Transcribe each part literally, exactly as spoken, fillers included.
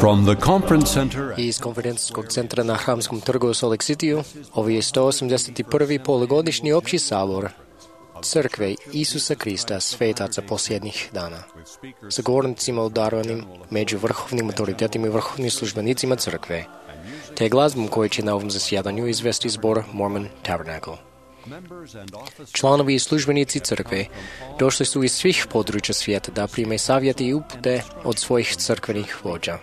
From the conference center Iz konferencijskog centra na Hramskom trgu u Salt Lake Cityu, ovo je sto osamdeset prvi polugodišnji opći sabor Crkve Isusa Krista svetaca posljednjih dana, sa govornicima udarovanim među vrhovnim autoritetima i vrhovnim službenicima crkve, te glazbom koju će na ovom zasjedanju izvesti zbor Mormon Tabernacle. Članovi i službenici crkve došli su iz svih područja svijeta da prime savjete i upute od svojih crkvenih vođa.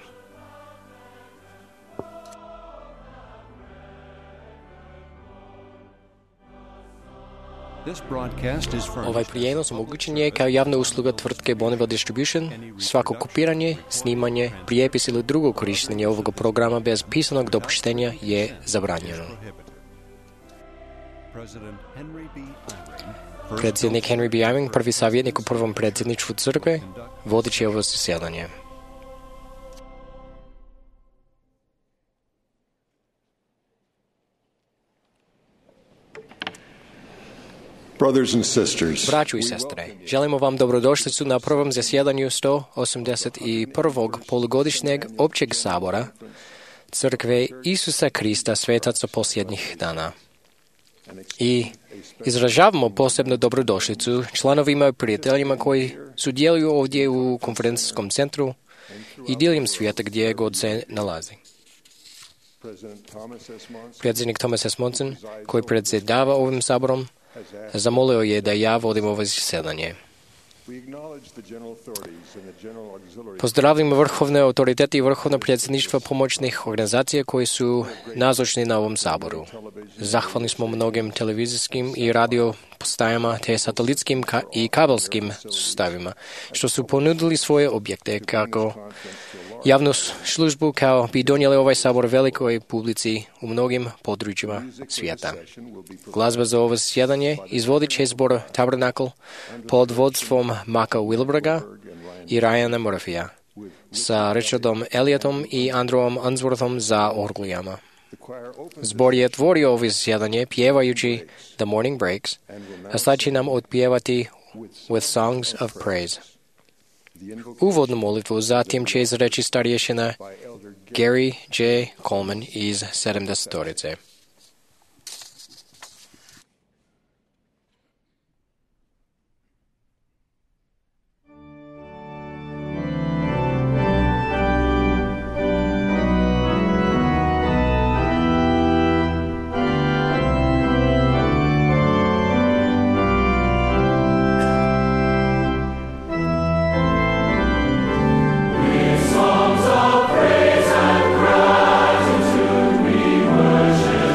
Ovaj prijenos omogućen je kao javna usluga tvrtke Bonneville Distribution. Svako kopiranje, snimanje, prijepis ili drugo korištenje ovoga programa bez pisanog dopuštenja je zabranjeno. Predsjednik Henry B. Eyring, prvi savjetnik u prvom predsjedništvu crkve, vodit će ovo zasjedanje. Brothers and sisters, Braćo i sestre, želimo vam dobrodošlicu na prvom zasjedanju sto osamdeset prvog polugodišnjeg općeg sabora Crkve Isusa Krista svetaca posljednjih dana. I izražavamo posebnu dobrodošlicu članovima i prijateljima koji sudjeluju ovdje u konferencijskom centru i diljem svijeta gdje god se nalazi. Predsjednik Thomas S. Monson, koji predsjedava ovim saborom, zamolio je da ja vodim ovo zasjedanje. Pozdravljamo vrhovne autoritete i vrhovno predsjedništvo pomoćnih organizacija koji su nazočni na ovom saboru. Zahvalni smo mnogim televizijskim i radio postajama te satelitskim ka- i kabelskim sustavima što su ponudili svoje objekte kako javnu službu kao bi donijeli ovaj sabor velikoj publici u mnogim područjima svijeta. Glazba za ovo zasjedanje izvodit će zbor Tabernacle pod vodstvom Maka Wilberga i Ryana Murphya sa Richardom Elliotom i Andrewom Unsworthom za orglijama. Zbor je otvorio ovo zasjedanje pjevajući The Morning Breaks, a sad će nam otpjevati With Songs of Praise. Uvodnu molitvu zatim će izreći starješina Gary J. Coleman iz sedamdesetorice. Songs of praise and gratitude we worship.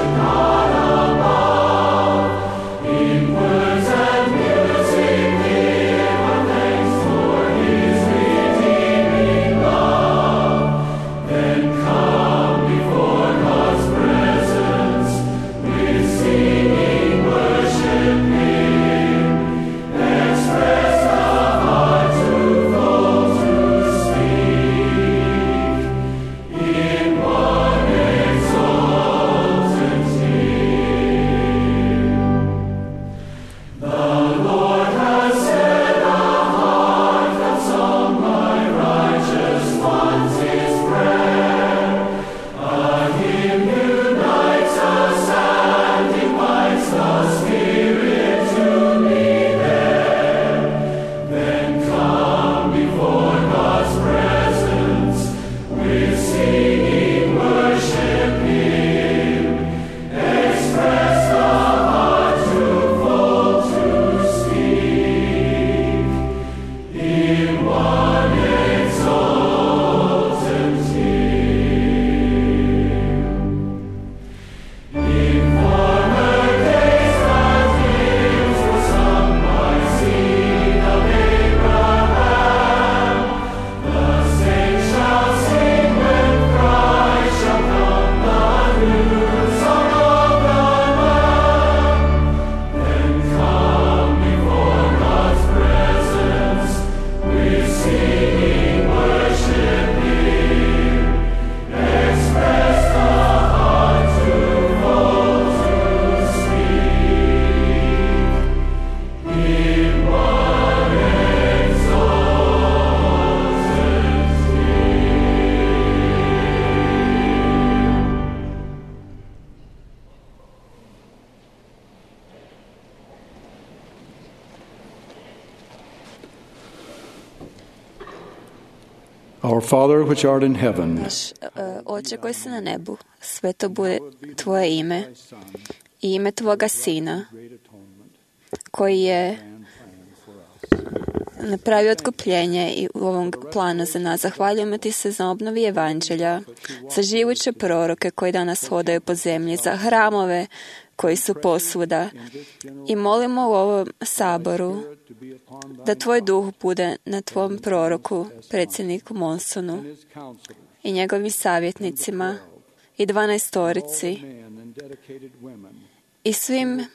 Our Father which art in heaven, Naš uh, Oče koji si na nebu, sveto bude Tvoje ime i ime Tvoga Sina, koji je napravio otkupljenje i u ovom planu za nas. Zahvaljujemo Ti se za obnovi evanđelja, za živuće proroke koji danas hodaju po zemlji, za hramove koji su posvuda. I molimo u ovom saboru da Tvoj duh bude na Tvom proroku, predsjedniku Monsonu i njegovim savjetnicima i dvanaestorici i svim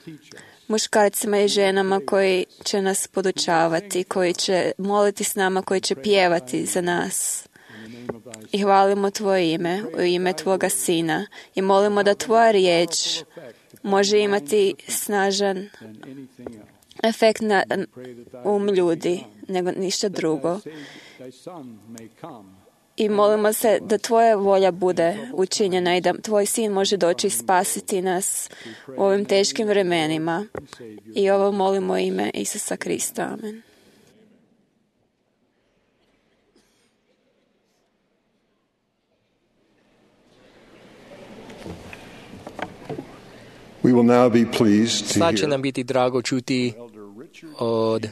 muškarcima i ženama koji će nas podučavati, koji će moliti s nama, koji će pjevati za nas. I hvalimo Tvoje ime, u ime Tvoga Sina. I molimo da Tvoja riječ može imati snažan efekt na um ljudi, nego ništa drugo. I molimo se da Tvoja volja bude učinjena i da Tvoj Sin može doći i spasiti nas u ovim teškim vremenima. I ovo molimo u ime Isusa Krista. Amen. we will now be pleased to Sad će hear nam biti drago čuti od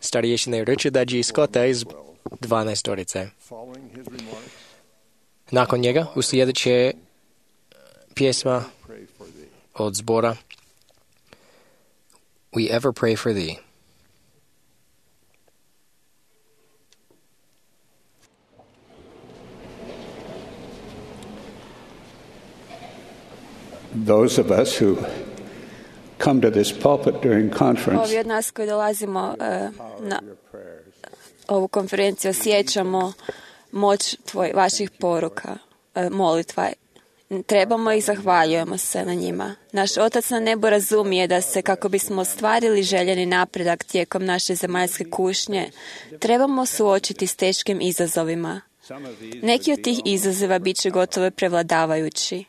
starješine Richarda G. Scotta iz dvanaestorice. following his remarks, Nakon njega uslijedit će pjesma pray for thee. od zbora We Ever Pray for Thee. Those of us who come to this pulpit during conference Ovi od nas koji dolazimo uh, na ovu konferenciju osjećamo moć tvoj, vaših poruka, uh, molitva. Trebamo i zahvaljujemo se na njima. Naš Otac na nebu razumije da se, kako bismo ostvarili željeni napredak tijekom naše zemaljske kušnje, trebamo suočiti s teškim izazovima. Neki od tih izazova bit će gotovo prevladavajući.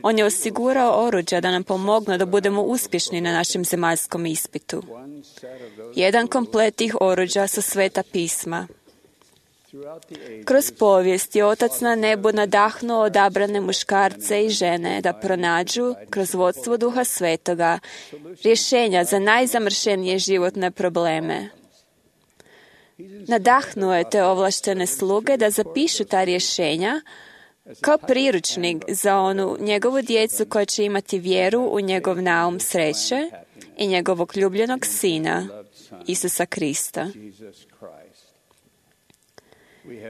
On je osigurao oruđa da nam pomognu da budemo uspješni na našem zemaljskom ispitu. Jedan komplet tih oruđa su Sveta pisma. Kroz povijest je Otac na nebu nadahnuo odabrane muškarce i žene da pronađu, kroz vodstvo Duha Svetoga, rješenja za najzamršenije životne probleme. Nadahnuo je te ovlaštene sluge da zapišu ta rješenja kao priručnik za onu njegovu djecu koja će imati vjeru u njegov naum sreće i njegovog ljubljenog Sina, Isusa Krista.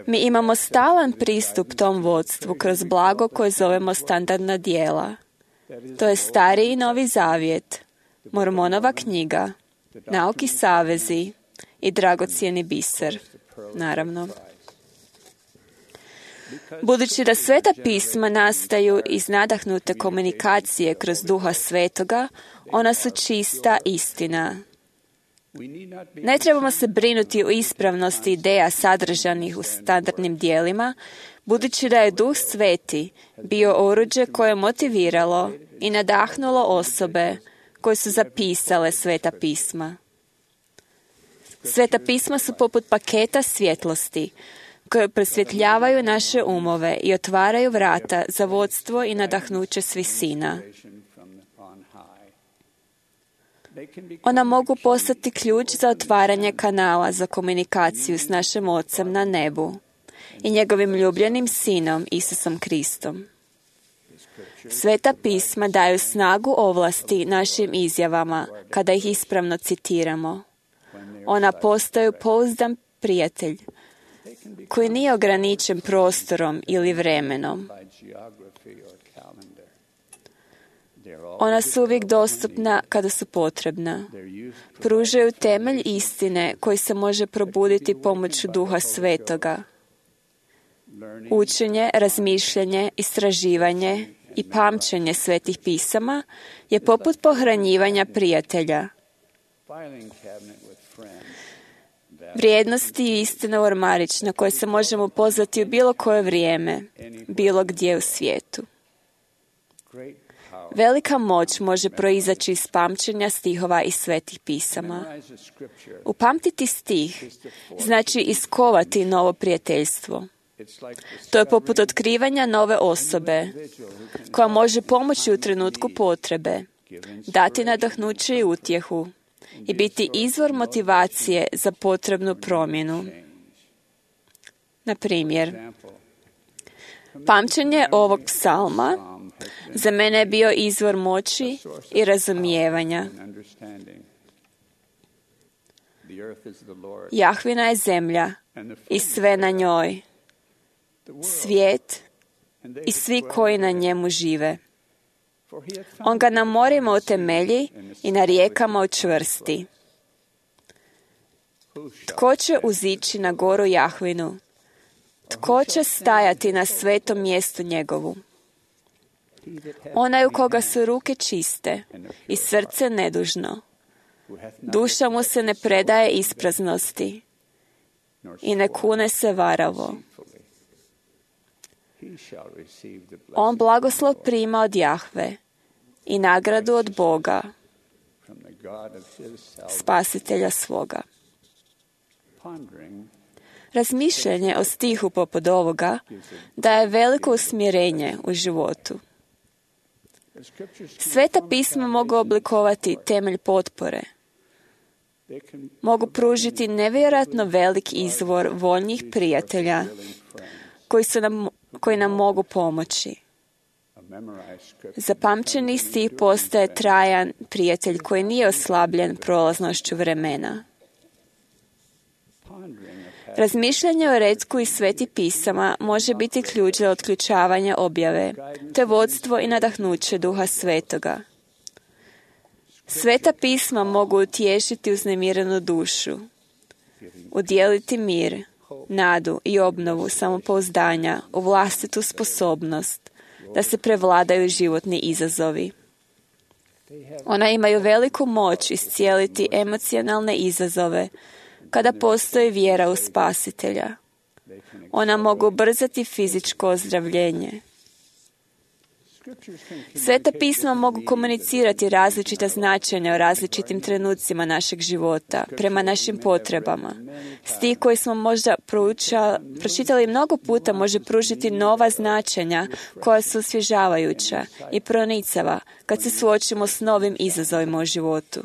Mi imamo stalan pristup tom vodstvu kroz blago koje zovemo standardna djela. To je Stari i Novi Zavjet, Mormonova knjiga, Nauki savezi i dragocjeni biser, naravno. Budući da Sveta pisma nastaju iz nadahnute komunikacije kroz Duha Svetoga, ona su čista istina. Ne trebamo se brinuti o ispravnosti ideja sadržanih u standardnim dijelima, budući da je Duh Sveti bio oruđe koje je motiviralo i nadahnulo osobe koje su zapisale Sveta pisma. Sveta pisma su poput paketa svjetlosti, koje prosvjetljavaju naše umove i otvaraju vrata za vodstvo i nadahnuće s visina. Ona mogu postati ključ za otvaranje kanala za komunikaciju s našim Ocem na nebu i njegovim ljubljenim Sinom Isusom Kristom. Sveta pisma daju snagu ovlasti našim izjavama kada ih ispravno citiramo. Ona postaju pouzdan prijatelj koji nije ograničen prostorom ili vremenom. Ona su uvijek dostupna kada su potrebna. Pružaju temelj istine koji se može probuditi pomoću Duha Svetoga. Učenje, razmišljanje, istraživanje i pamćenje Svetih pisama je poput pohranjivanja prijatelja. Vrijednosti i istina ormarić na koje se možemo pozvati u bilo koje vrijeme, bilo gdje u svijetu. Velika moć može proizaći iz pamćenja stihova iz Svetih pisama. Upamtiti stih znači iskovati novo prijateljstvo. To je poput otkrivanja nove osobe, koja može pomoći u trenutku potrebe, dati nadahnuće i utjehu i biti izvor motivacije za potrebnu promjenu. Na primjer, pamćenje ovog psalma za mene je bio izvor moći i razumijevanja. Jahvina je zemlja i sve na njoj, svijet i svi koji na njemu žive. On ga na morima utemelji i na rijekama učvrsti. Tko će uzići na goru Jahvinu? Tko će stajati na svetom mjestu njegovu? Onaj u koga su ruke čiste i srce nedužno. Duša mu se ne predaje ispraznosti i ne kune se varavo. On blagoslov prima od Jahve i nagradu od Boga, spasitelja svoga. Razmišljanje o stihu poput ovoga daje veliko usmjerenje u životu. Sveta pisma mogu oblikovati temelj potpore. Mogu pružiti nevjerojatno velik izvor voljnih prijatelja koji, su nam, koji nam mogu pomoći. Zapamćeni stih postaje trajan prijatelj koji nije oslabljen prolaznošću vremena. Razmišljanje o retku i sveti pisama može biti ključ za otključavanje objave, te vodstvo i nadahnuće Duha Svetoga. Sveta pisma mogu utješiti uznemirenu dušu, udjeliti mir, nadu i obnovu samopouzdanja u vlastitu sposobnost da se prevladaju životni izazovi. Ona imaju veliku moć iscijeliti emocionalne izazove kada postoji vjera u Spasitelja. Ona mogu ubrzati fizičko ozdravljenje. Sveta pisma mogu komunicirati različita značenja u različitim trenucima našeg života, prema našim potrebama. Stih koji smo možda prouča, pročitali mnogo puta može pružiti nova značenja koja su osvježavajuća i pronicava kad se suočimo s novim izazovima u životu.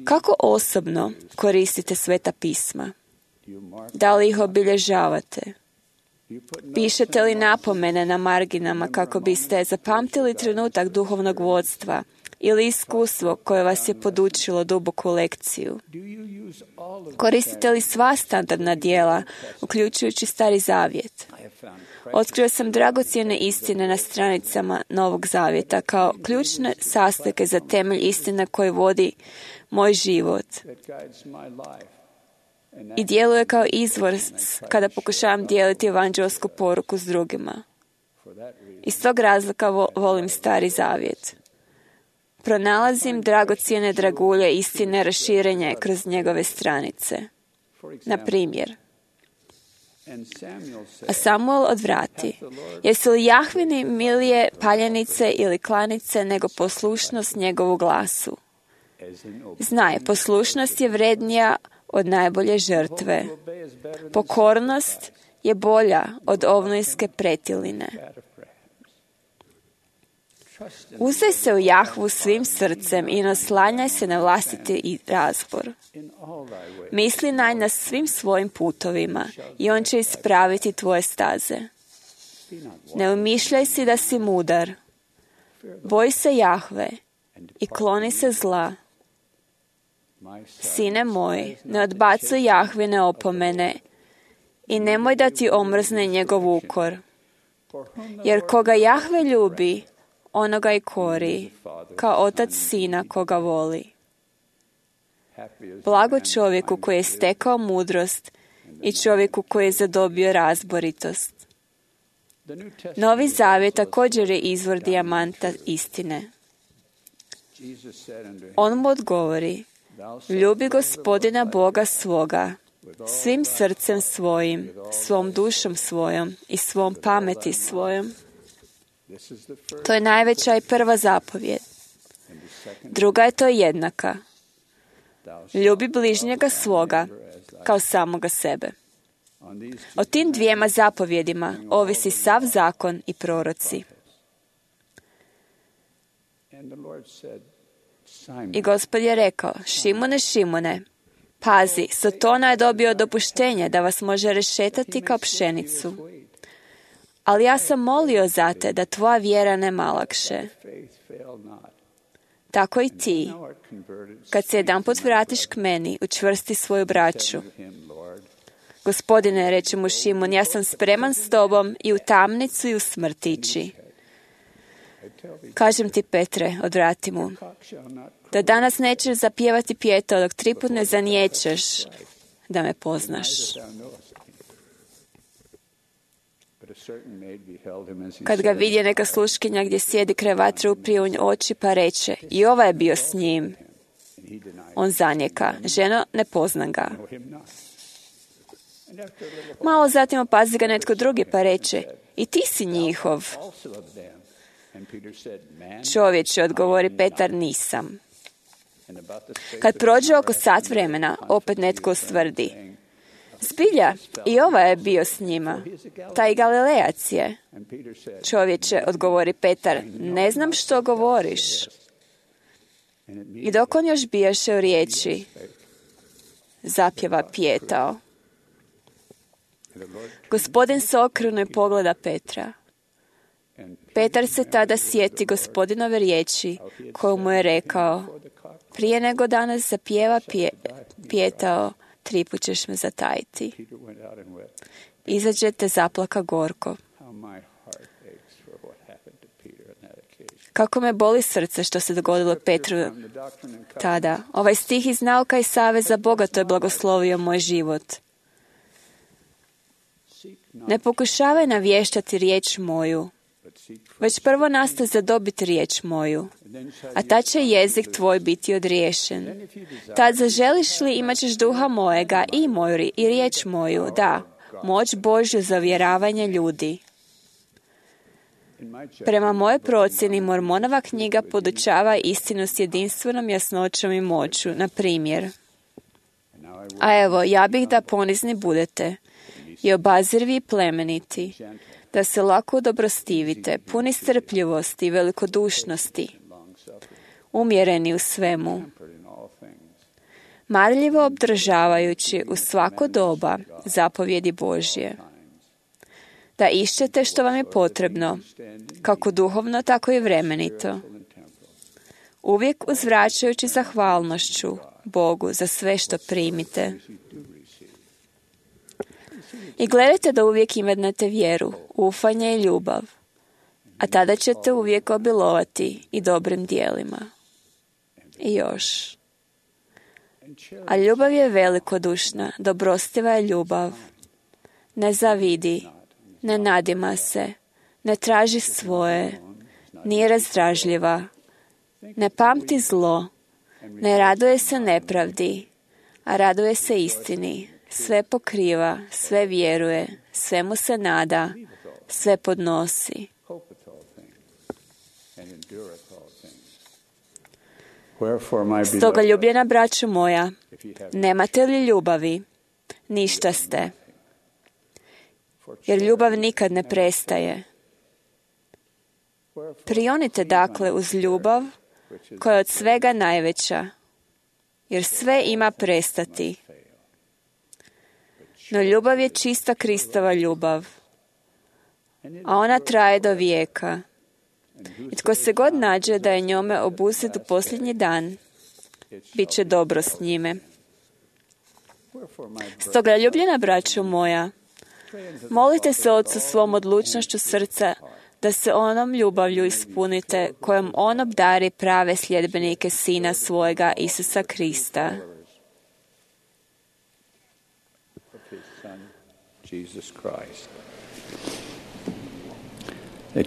Kako osobno koristite Sveta pisma? Da li ih obilježavate? Pišete li napomene na marginama kako biste zapamtili trenutak duhovnog vodstva ili iskustvo koje vas je podučilo duboku lekciju? Koristite li sva standardna djela, uključujući Stari Zavjet? Otkrio sam dragocjene istine na stranicama Novog Zavjeta kao ključne sastojke za temelj istine koji vodi moj život i djeluje kao izvor kada pokušavam dijeliti evanđelsku poruku s drugima. Iz tog razloga volim Stari Zavjet. Pronalazim dragocjene dragulje istine raširenje kroz njegove stranice. Na primjer, a Samuel odvrati, jesu li Jahvini milije paljenice ili klanice nego poslušnost njegovu glasu? Znaj, poslušnost je vrednija od najbolje žrtve. Pokornost je bolja od ovnojske pretiline. Uzdaj se u Jahvu svim srcem i naslanjaj se na vlastiti razbor. Misli na njega svim svojim putovima i on će ispraviti tvoje staze. Ne umišljaj si da si mudar. Boj se Jahve i kloni se zla. Sine moj, ne odbacuj Jahvine opomene i nemoj da ti omrzne njegov ukor. Jer koga Jahve ljubi, onoga i kori, kao otac sina koga voli. Blago čovjeku koji je stekao mudrost i čovjeku koji je zadobio razboritost. Novi Zavjet također je izvor dijamanta istine. On mu odgovori, ljubi Gospodina Boga svoga, svim srcem svojim, svom dušom svojom i svom pameti svojom. To je najveća i prva zapovjed. Druga je to jednaka. Ljubi bližnjega svoga kao samoga sebe. O tim dvijema zapovjedima ovisi sav zakon i proroci. I Gospod je rekao, Šimune, Šimune, pazi, Sotona je dobio dopuštenje da vas može rešetati kao pšenicu. Ali ja sam molio za te da tvoja vjera ne malakše. Tako i ti, kad se jedanput vratiš k meni, učvrsti svoju braću. Gospodine, reče mu Šimun, ja sam spreman s tobom i u tamnicu i u smrtići. Kažem ti, Petre, odvrati mu, da danas nećeš zapjevati pjetao dok tri put ne zaniječeš da me poznaš. Kad ga vidje neka sluškinja gdje sjedi kraj vatre, uprije u oči pa reče, i ova je bio s njim. On zanijeka, ženo, ne poznam ga. Malo zatim opazi ga netko drugi pa reče, i ti si njihov. Čovječe, odgovori Petar, nisam. Kad prođe oko sat vremena, opet netko ustvrdi, zbilja, i ova je bio s njima. Taj Galilejac je. Čovječe, odgovori Petar, ne znam što govoriš. I dok on još bijaše u riječi, zapjeva pjetao. Gospodin se okrenuo i pogleda Petra. Petar se tada sjeti Gospodinove riječi koju mu je rekao, prije nego danas zapjeva pje, pjetao, tri put ćeš me zatajiti. Izađe te zaplaka gorko. Kako me boli srce što se dogodilo Petru tada. Ovaj stih iz Nauka i saveza bogato je blagoslovio moj život. Ne pokušavaj navještati riječ moju, već prvo nastaj zadobiti riječ moju, a tad će jezik tvoj biti odriješen. Tad zaželiš li, imat ćeš duha mojega i moju i riječ moju, da, moć Božju za uvjeravanje ljudi. Prema mojoj procjeni, Mormonova knjiga podučava istinu s jedinstvenom jasnoćom i moću, na primjer. A evo, ja bih da ponizni budete i obazrivi i plemeniti, da se lako dobrostivite, puni strpljivosti i velikodušnosti, umjereni u svemu, marljivo obdržavajući u svako doba zapovjedi Božje, da išćete što vam je potrebno, kako duhovno, tako i vremenito, uvijek uzvraćajući zahvalnošću Bogu za sve što primite. I gledajte da uvijek imate vjeru, ufanje i ljubav, a tada ćete uvijek obilovati i dobrim dijelima. I još. A ljubav je velikodušna, dobrostiva je ljubav. Ne zavidi, ne nadima se, ne traži svoje, nije razdražljiva, ne pamti zlo, ne raduje se nepravdi, a raduje se istini. Sve pokriva, sve vjeruje, svemu se nada, sve podnosi. Stoga, ljubljena braćo moja, nemate li ljubavi, ništa ste. Jer ljubav nikad ne prestaje. Prionite dakle uz ljubav koja je od svega najveća, jer sve ima prestati. No ljubav je čista Kristova ljubav, a ona traje do vijeka. I tko se god nađe da je njome obuzet u posljednji dan, bit će dobro s njime. Stoga, ljubljena braćo moja, molite se Otcu svom odlučnošću srca da se onom ljubavlju ispunite kojom on obdari prave sljedbenike Sina svojega Isusa Krista. Da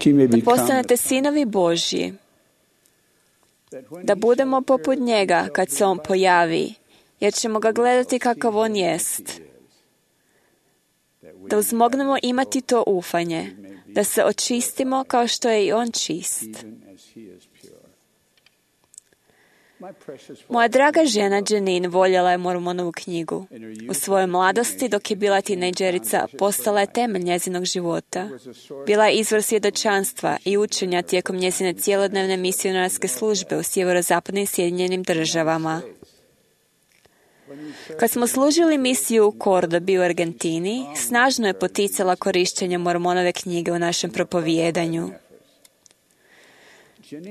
postanete sinovi Božji, da budemo poput njega kad se on pojavi, jer ćemo ga gledati kakav on jest. Da uzmognemo imati to ufanje, da se očistimo kao što je i on čist. Moja draga žena Janine voljela je Mormonovu knjigu. U svojoj mladosti, dok je bila tinejdžerica, postala je temelj njezinog života. Bila je izvor svjedočanstva i učenja tijekom njezine cjelodnevne misionarske službe u sjeverozapadnim Sjedinjenim državama. Kad smo služili misiju u Kordobi u Argentini, snažno je poticala korištenje Mormonove knjige u našem propovijedanju.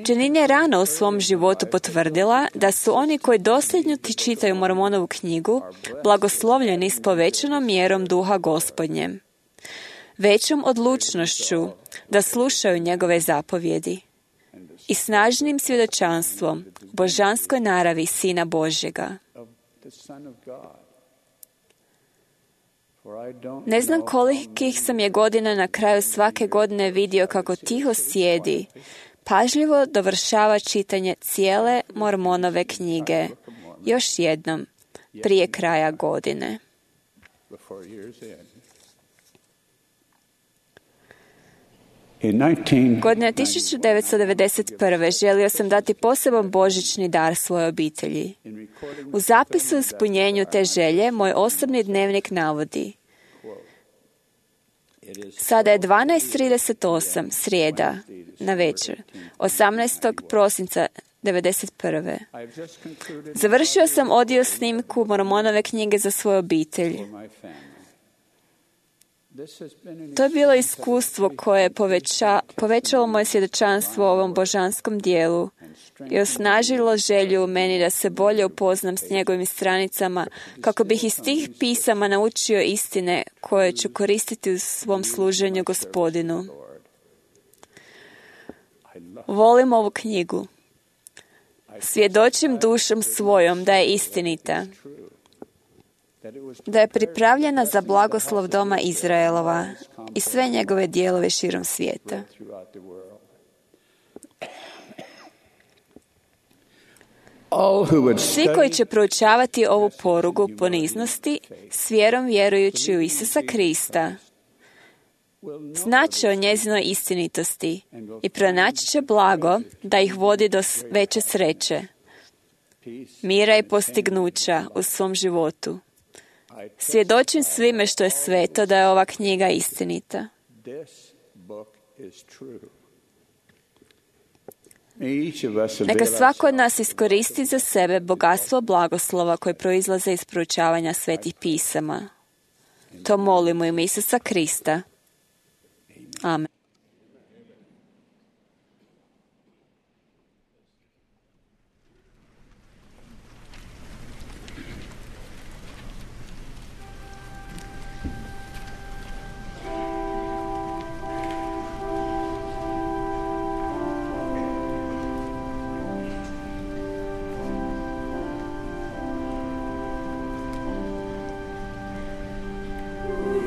Janine je rano u svom životu potvrdila da su oni koji dosljedno ti čitaju Mormonovu knjigu blagoslovljeni s povećanom mjerom duha Gospodnjem, većom odlučnošću da slušaju njegove zapovjedi i snažnim svjedočanstvom božanskoj naravi Sina Božjega. Ne znam kolikih sam je godina na kraju svake godine vidio kako tiho sjedi, pažljivo dovršava čitanje cijele Mormonove knjige, još jednom, prije kraja godine. Godine tisuću devetsto devedeset prve. želio sam dati poseban božićni dar svojoj obitelji. U zapisu o ispunjenju te želje moj osobni dnevnik navodi: sada je dvanaest trideset osam, srijeda, na večer, osamnaestog prosinca devedeset prve. Završio sam audio snimku Mormonove knjige za svoju obitelj. To je bilo iskustvo koje je poveća, povećalo moje svjedočanstvo o ovom božanskom dijelu i osnažilo želju u meni da se bolje upoznam s njegovim stranicama kako bih iz tih pisama naučio istine koje ću koristiti u svom služenju Gospodinu. Volim ovu knjigu. Svjedočim dušom svojom da je istinita, da je pripravljena za blagoslov doma Izraelova i sve njegove dijelove širom svijeta. Svi koji će proučavati ovu porugu poniznosti s vjerom vjerujući u Isusa Krista, znaće o njezinoj istinitosti i pronaći će blago da ih vodi do veće sreće, mira i postignuća u svom životu. Svjedočim svime što je sveto da je ova knjiga istinita. Neka svako od nas iskoristi za sebe bogatstvo blagoslova koje proizlaze iz proučavanja svetih pisama. To molimo ime Isusa Krista. Amen. We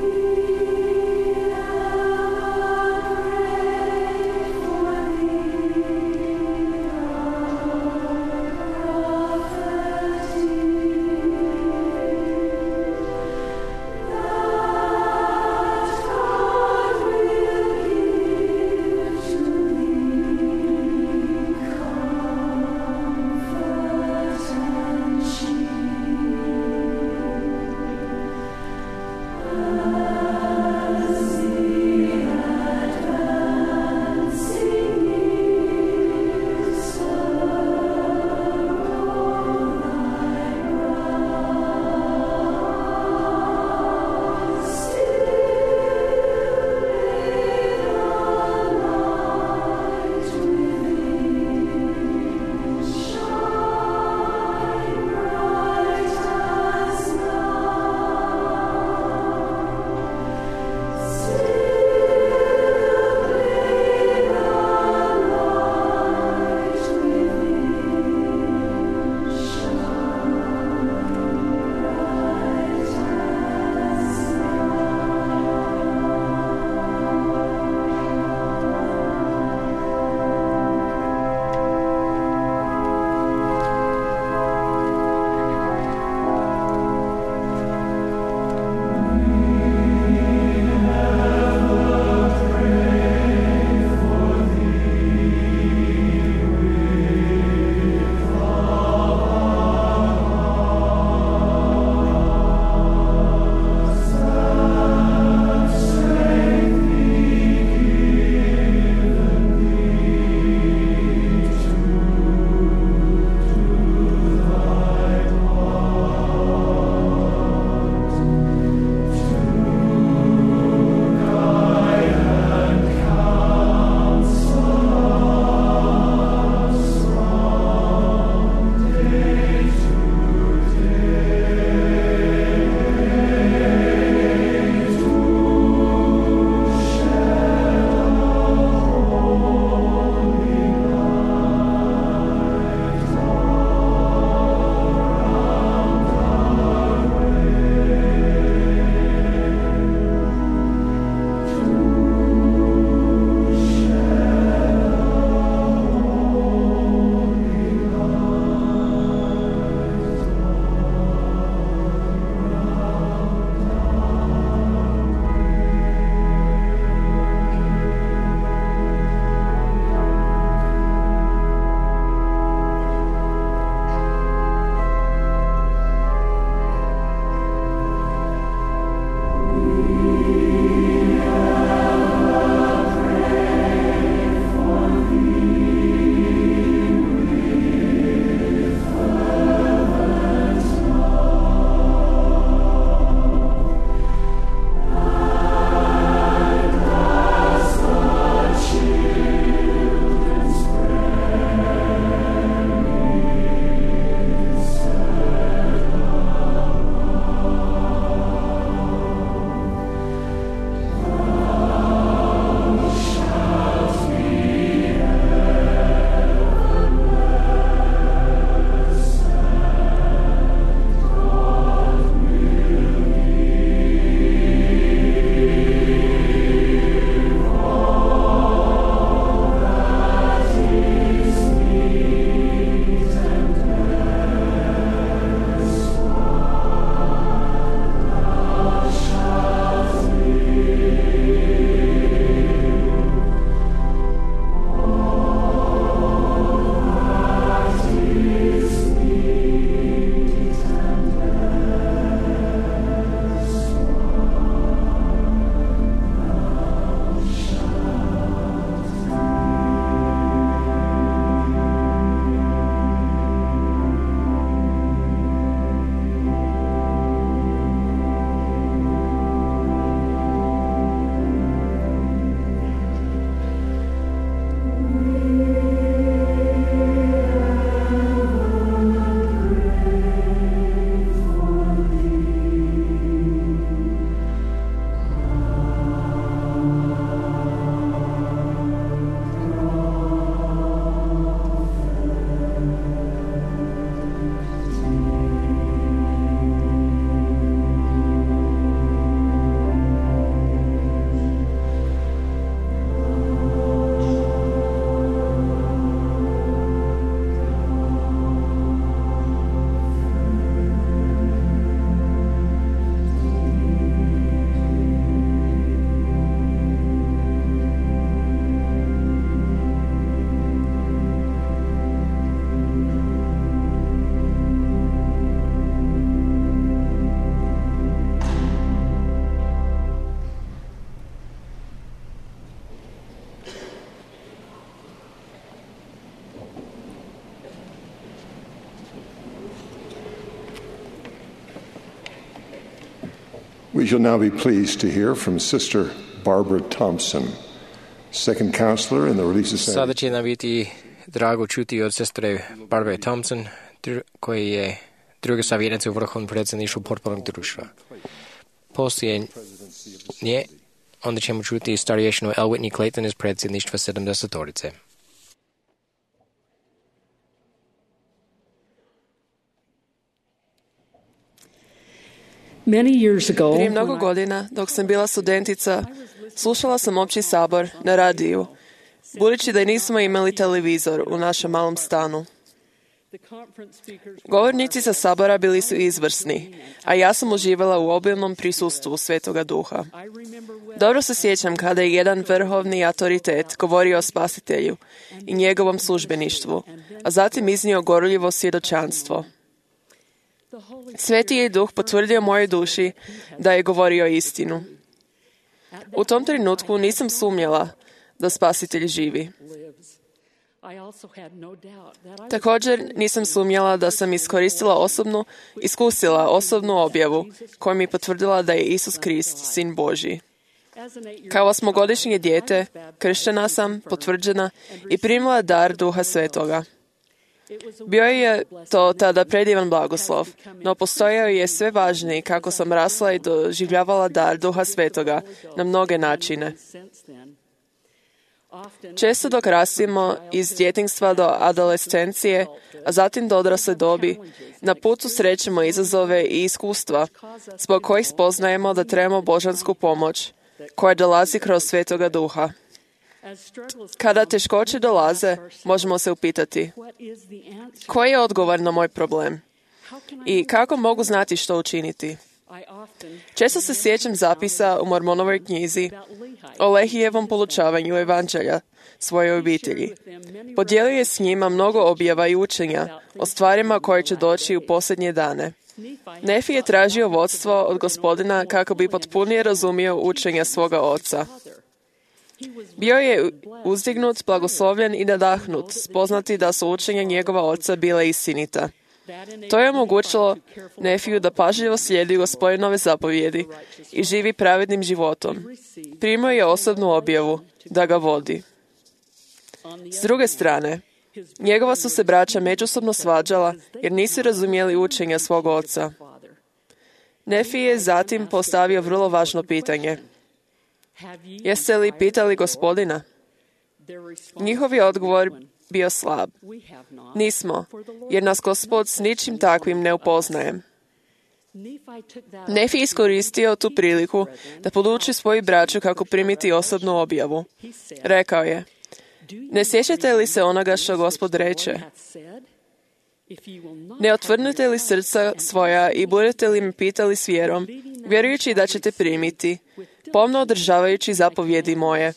We shall now be pleased to hear from Sister Barbara Thompson, second counselor in the Relief Society. Sada će nam biti drago čuti od sestre Barbara Thompson, koji je druga savjetnica u Vrhovnom predsjedništvu potpornog društva. Poslije nje, onda ćemo čuti starješinu L. Whitney Clayton iz predsjedništva sedamdesetorice. Prije mnogo godina, dok sam bila studentica, slušala sam opći sabor na radiju, budući da nismo imali televizor u našem malom stanu. Govornici sa sabora bili su izvrsni, a ja sam uživala u obilnom prisustvu Svetoga Duha. Dobro se sjećam kada je jedan vrhovni autoritet govorio o Spasitelju i njegovom službeništvu, a zatim iznio gorljivo svjedočanstvo. Sveti je Duh potvrdio mojoj duši da je govorio istinu. U tom trenutku nisam sumnjala da Spasitelj živi. Također nisam sumnjala da sam iskoristila osobnu, iskusila osobnu objavu koja mi potvrdila da je Isus Krist, Sin Božji. Kao osmogodišnje dijete, krštena sam, potvrđena i primila dar Duha Svetoga. Bio je to tada predivan blagoslov, no postojao je sve važniji kako sam rasla i doživljavala dar Duha Svetoga na mnoge načine. Često dok rastimo iz djetinjstva do adolescencije, a zatim do odrasle dobi, na putu srećemo izazove i iskustva zbog kojih spoznajemo da trebamo božansku pomoć koja dolazi kroz Svetoga Duha. Kada teškoće dolaze, možemo se upitati: koji je odgovor na moj problem? I kako mogu znati što učiniti? Često se sjećam zapisa u Mormonovoj knjizi o Lehijevom polučavanju evanđelja svojoj obitelji. Podijelio je s njima mnogo objava i učenja o stvarima koje će doći u posljednje dane. Nefi je tražio vodstvo od Gospodina kako bi potpunije razumio učenja svoga oca. Bio je uzdignut, blagoslovljen i nadahnut, spoznati da su učenja njegova oca bile istinita. To je omogućilo Nefiju da pažljivo slijedi Gospodinove zapovjedi i živi pravednim životom. Primio je osobnu objavu da ga vodi. S druge strane, njegova su se braća međusobno svađala jer nisu razumjeli učenja svog oca. Nefi je zatim postavio vrlo važno pitanje: jeste li pitali Gospodina? Njihov je odgovor bio slab: nismo, jer nas Gospod s ničim takvim ne upoznaje. Nefi iskoristio tu priliku da poduči svoju braću kako primiti osobnu objavu. Rekao je: ne sjećate li se onoga što Gospod reče? Ne otvrnute li srca svoja i budete li me pitali s vjerom, vjerujući da ćete primiti, pomno održavajući zapovjedi moje,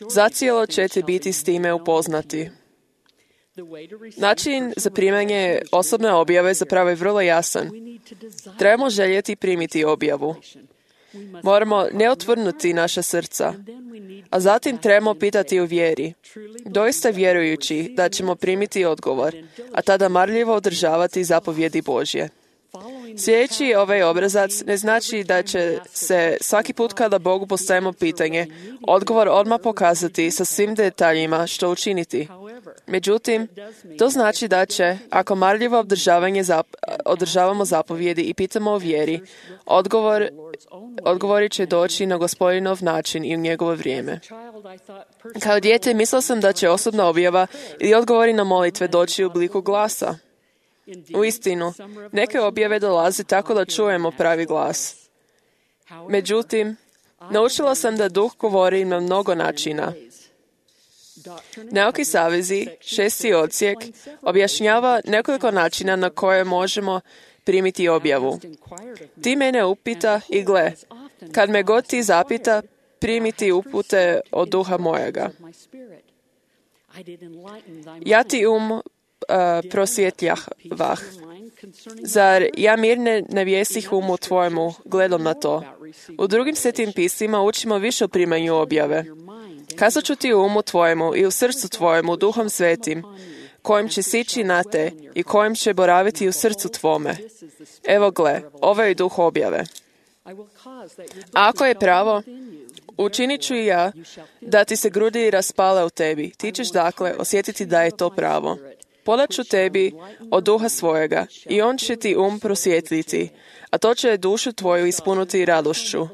zacijelo ćete biti s time upoznati. Način za primanje osobne objave zapravo je vrlo jasan. Trebamo željeti primiti objavu. Moramo ne otvrnuti naša srca, a zatim trebamo pitati u vjeri, doista vjerujući da ćemo primiti odgovor, a tada marljivo održavati zapovjedi Božje. Sljedeći ovaj obrazac ne znači da će se svaki put kada Bogu postavimo pitanje, odgovor odmah pokazati sa svim detaljima što učiniti. Međutim, to znači da će, ako marljivo održavanje zap, održavamo zapovjedi i pitamo o vjeri, odgovor, odgovori će doći na Gospodinov način i u njegovo vrijeme. Kao dijete mislila sam da će osobna objava ili odgovori na molitve doći u obliku glasa. U istinu, neke objave dolaze tako da čujemo pravi glas. Međutim, naučila sam da Duh govori na mnogo načina. Nauki savezi, šesti odsjek, objašnjava nekoliko načina na koje možemo primiti objavu. Ti mene upita i gle, kad me god ti zapita, primiti upute od Duha mojega. Ja ti um uh, prosvjetljah. Zar ja mirne navjesih umu tvojemu gledom na to? U drugim svetim pismima učimo više o primanju objave. Kazat ću ti u umu tvojemu i u srcu tvojemu Duhom Svetim, kojim će sići na te i kojim će boraviti u srcu tvome. Evo gle, ovo je Duh objave. Ako je pravo, učinit ću i ja da ti se grudi raspale u tebi. Ti ćeš dakle osjetiti da je to pravo. Podat ću tebi od duha svojega i on će ti um prosvjetliti, a to će dušu tvoju ispuniti radošću.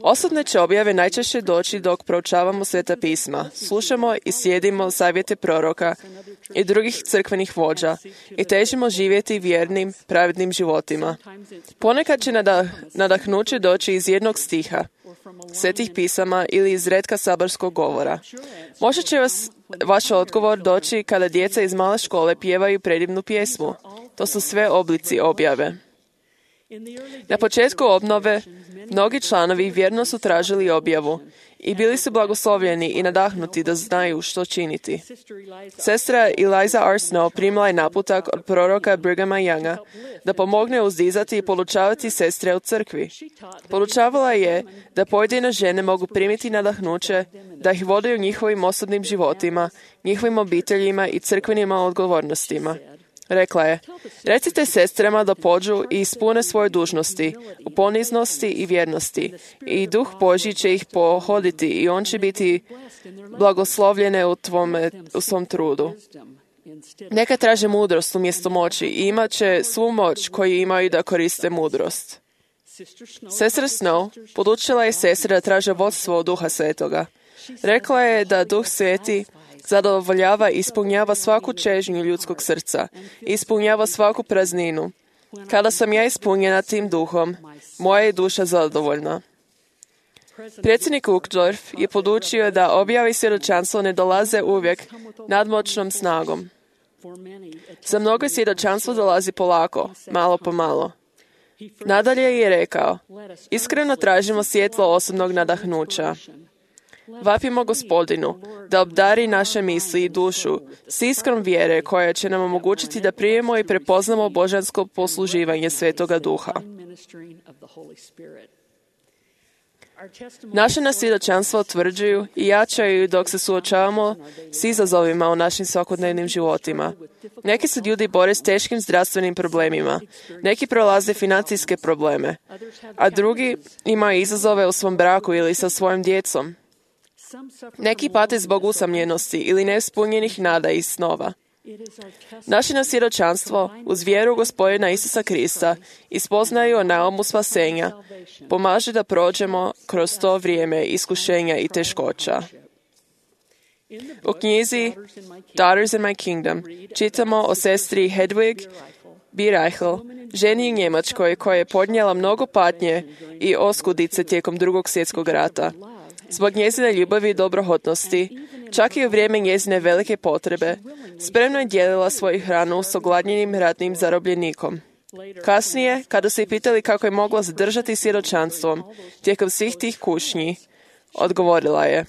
Osobne će objave najčešće doći dok proučavamo Sveta pisma, slušamo i slijedimo savjete proroka i drugih crkvenih vođa i težimo živjeti vjernim, pravednim životima. Ponekad će nadah, nadahnuće doći iz jednog stiha, Svetih pisama ili iz retka saborskog govora. Možda će vas vaš odgovor doći kada djeca iz male škole pjevaju predivnu pjesmu. To su sve oblici objave. Na početku obnove mnogi članovi vjerno su tražili objavu i bili su blagoslovljeni i nadahnuti da znaju što činiti. Sestra Eliza R. Snow primila je naputak od proroka Brighama Younga da pomogne uzdizati i polučavati sestre u crkvi. Polučavala je da pojedine žene mogu primiti nadahnuće, da ih vode u njihovim osobnim životima, njihovim obiteljima i crkvenim odgovornostima. Rekla je, recite sestrama da pođu i ispune svoje dužnosti u poniznosti i vjernosti i duh Božji će ih pohoditi i on će biti blagoslovljene u, tvome, u svom trudu. Neka traže mudrost umjesto moći i imat će svu moć koju imaju da koriste mudrost. Sestra Snow podučila je sestre da traže vodstvo od Duha Svetoga. Rekla je da Duh Sveti zadovoljava i ispunjava svaku čežnju ljudskog srca i ispunjava svaku prazninu. Kada sam ja ispunjena tim duhom, moja je duša zadovoljna. Predsjednik Uchtdorf je podučio da objave i svjedočanstvo ne dolaze uvijek nadmoćnom snagom. Za mnogo svjedočanstvo dolazi polako, malo po malo. Nadalje je rekao, iskreno tražimo svjetlo osobnog nadahnuća. Vapimo Gospodinu da obdari naše misli i dušu s iskrom vjere koja će nam omogućiti da primimo i prepoznamo božansko posluživanje Svetoga Duha. Naše nas svjedočanstva utvrđuju i jačaju dok se suočavamo s izazovima u našim svakodnevnim životima. Neki se ljudi bore s teškim zdravstvenim problemima, neki prolaze financijske probleme, a drugi imaju izazove u svom braku ili sa svojim djecom. Neki pate zbog usamljenosti ili neispunjenih nada i snova. Naše nas svjedočanstvo uz vjeru u Gospodina Isusa Krista i spoznaju o naumu spasenja pomaže da prođemo kroz to vrijeme iskušenja i teškoća. U knjizi Daughters in my Kingdom čitamo o sestri Hedwig B. Reichel, ženi u Njemačkoj koja je podnijela mnogo patnje i oskudice tijekom drugog svjetskog rata. Zbog njezine ljubavi i dobrohotnosti, čak i u vrijeme njezine velike potrebe, spremno je dijelila svoju hranu s ogladnjenim ratnim zarobljenikom. Kasnije, kada su je pitali kako je mogla zadržati svjedočanstvom tijekom svih tih kušnji, odgovorila je,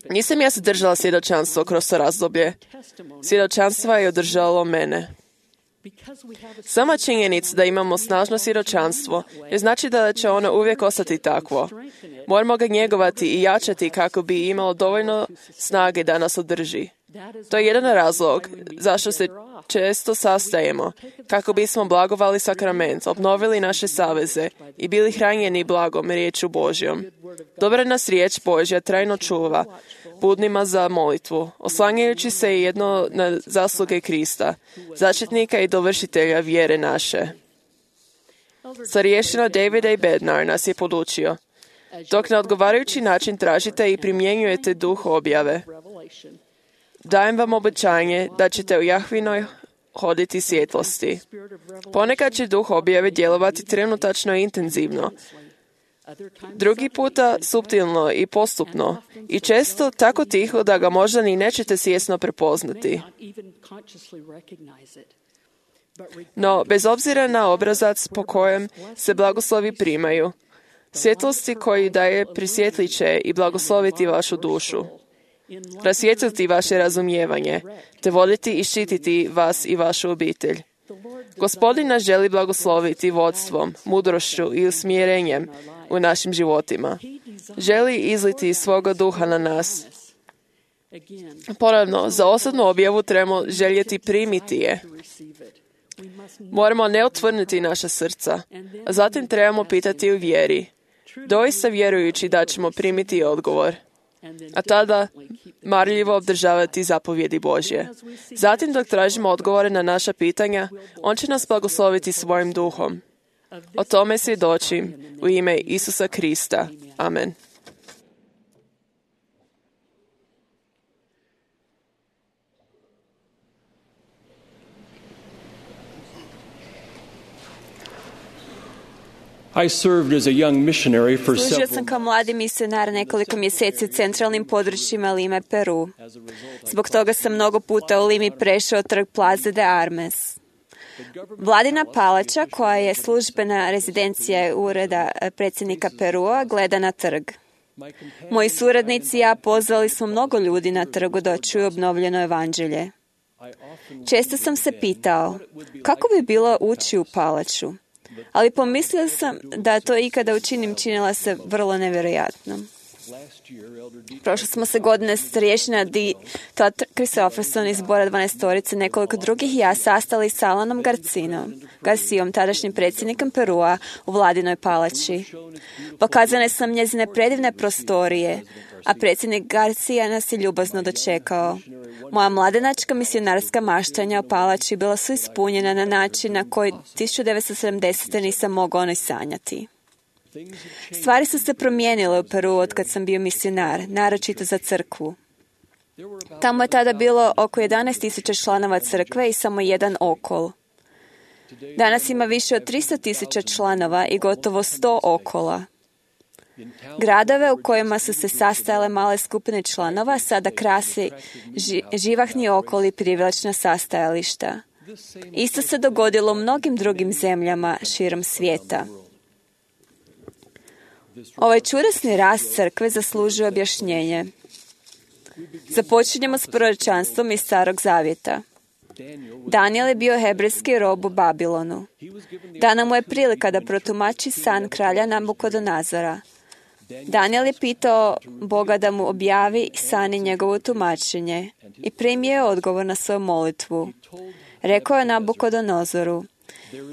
nisam ja zadržala svjedočanstvo kroz to razdoblje. Svjedočanstvo je održalo mene. Sama činjenica da imamo snažno svjedočanstvo ne znači da će ono uvijek ostati takvo. Moramo ga njegovati i jačati kako bi imalo dovoljno snage da nas održi. To je jedan razlog zašto se često sastajemo, kako bismo blagovali sakrament, obnovili naše saveze i bili hranjeni blagom riječu Božjom. Dobra nas riječ Božja trajno čuva, budnima za molitvu, oslanjajući se jedno na zasluge Krista, začetnika i dovršitelja vjere naše. Starješina David A. Bednar nas je podučio, dok na odgovarajući način tražite i primjenjujete duh objave, dajem vam obećanje da ćete u Jahvinoj hoditi svjetlosti. Ponekad će duh objave djelovati trenutačno i intenzivno, drugi puta suptilno i postupno i često tako tiho da ga možda ni nećete svjesno prepoznati. No, bez obzira na obrazac po kojem se blagoslovi primaju, svjetlosti koji daje prisvjetlit će i blagosloviti vašu dušu, rasvijetliti vaše razumijevanje, te voditi i štititi vas i vašu obitelj. Gospodin nas želi blagosloviti vodstvom, mudrošću i usmjerenjem u našim životima. Želi izliti svoga duha na nas. Ponovno, za osobnu objavu trebamo željeti primiti je. Moramo ne otvrnuti naša srca, a zatim trebamo pitati u vjeri, doista vjerujući da ćemo primiti odgovor, a tada marljivo obdržavati zapovjedi Božje. Zatim, dok tražimo odgovore na naša pitanja, On će nas blagosloviti svojim duhom. O tome svjedočim u ime Isusa Krista. Amen. I served as a young missionary for Služio several sam kao mladi misionar nekoliko mjeseci u centralnim područjima Lime, Peru. Zbog toga sam mnogo puta u Limi prešao trg Plaza de Armes. Vladina palača, koja je službena rezidencija ureda predsjednika Perua, gleda na trg. Moji suradnici i ja pozvali smo mnogo ljudi na trgu da čuju obnovljeno evanđelje. Često sam se pitao, kako bi bilo ući u palaču? Ali pomislio sam da to ikada učinim činila se vrlo nevjerojatno. Prošle smo se godine starješina Di Todd Christopherson iz Zbora dvanaestorice, nekoliko drugih i ja sastali s Alanom Garcinom, Garcijom, tadašnjim predsjednikom Perua, u Vladinoj palači. Pokazane sam njezine predivne prostorije, a predsjednik Garcija nas je ljubazno dočekao. Moja mladenačka misionarska maštanja o palači bila su ispunjena na način na koji tisuću devetsto sedamdesete nisam mogao ni sanjati. Stvari su se promijenile u Peru od kad sam bio misionar, naročito za crkvu. Tamo je tada bilo oko jedanaest tisuća članova crkve i samo jedan okol. Danas ima više od tristo tisuća članova i gotovo sto okola. Gradove u kojima su se sastajale male skupine članova sada krasi ži, živahni okoli i privlačna sastajališta. Isto se dogodilo u mnogim drugim zemljama širom svijeta. Ovaj čudesni rast crkve zaslužuje objašnjenje. Započinjemo s proročanstvom iz Starog zavjeta. Daniel je bio hebrejski rob u Babilonu. Dana mu je prilika da protumači san kralja Nabukodonazora. Daniel je pitao Boga da mu objavi san i njegovo tumačenje i primio je odgovor na svoju molitvu. Rekao je Nabukodonozoru,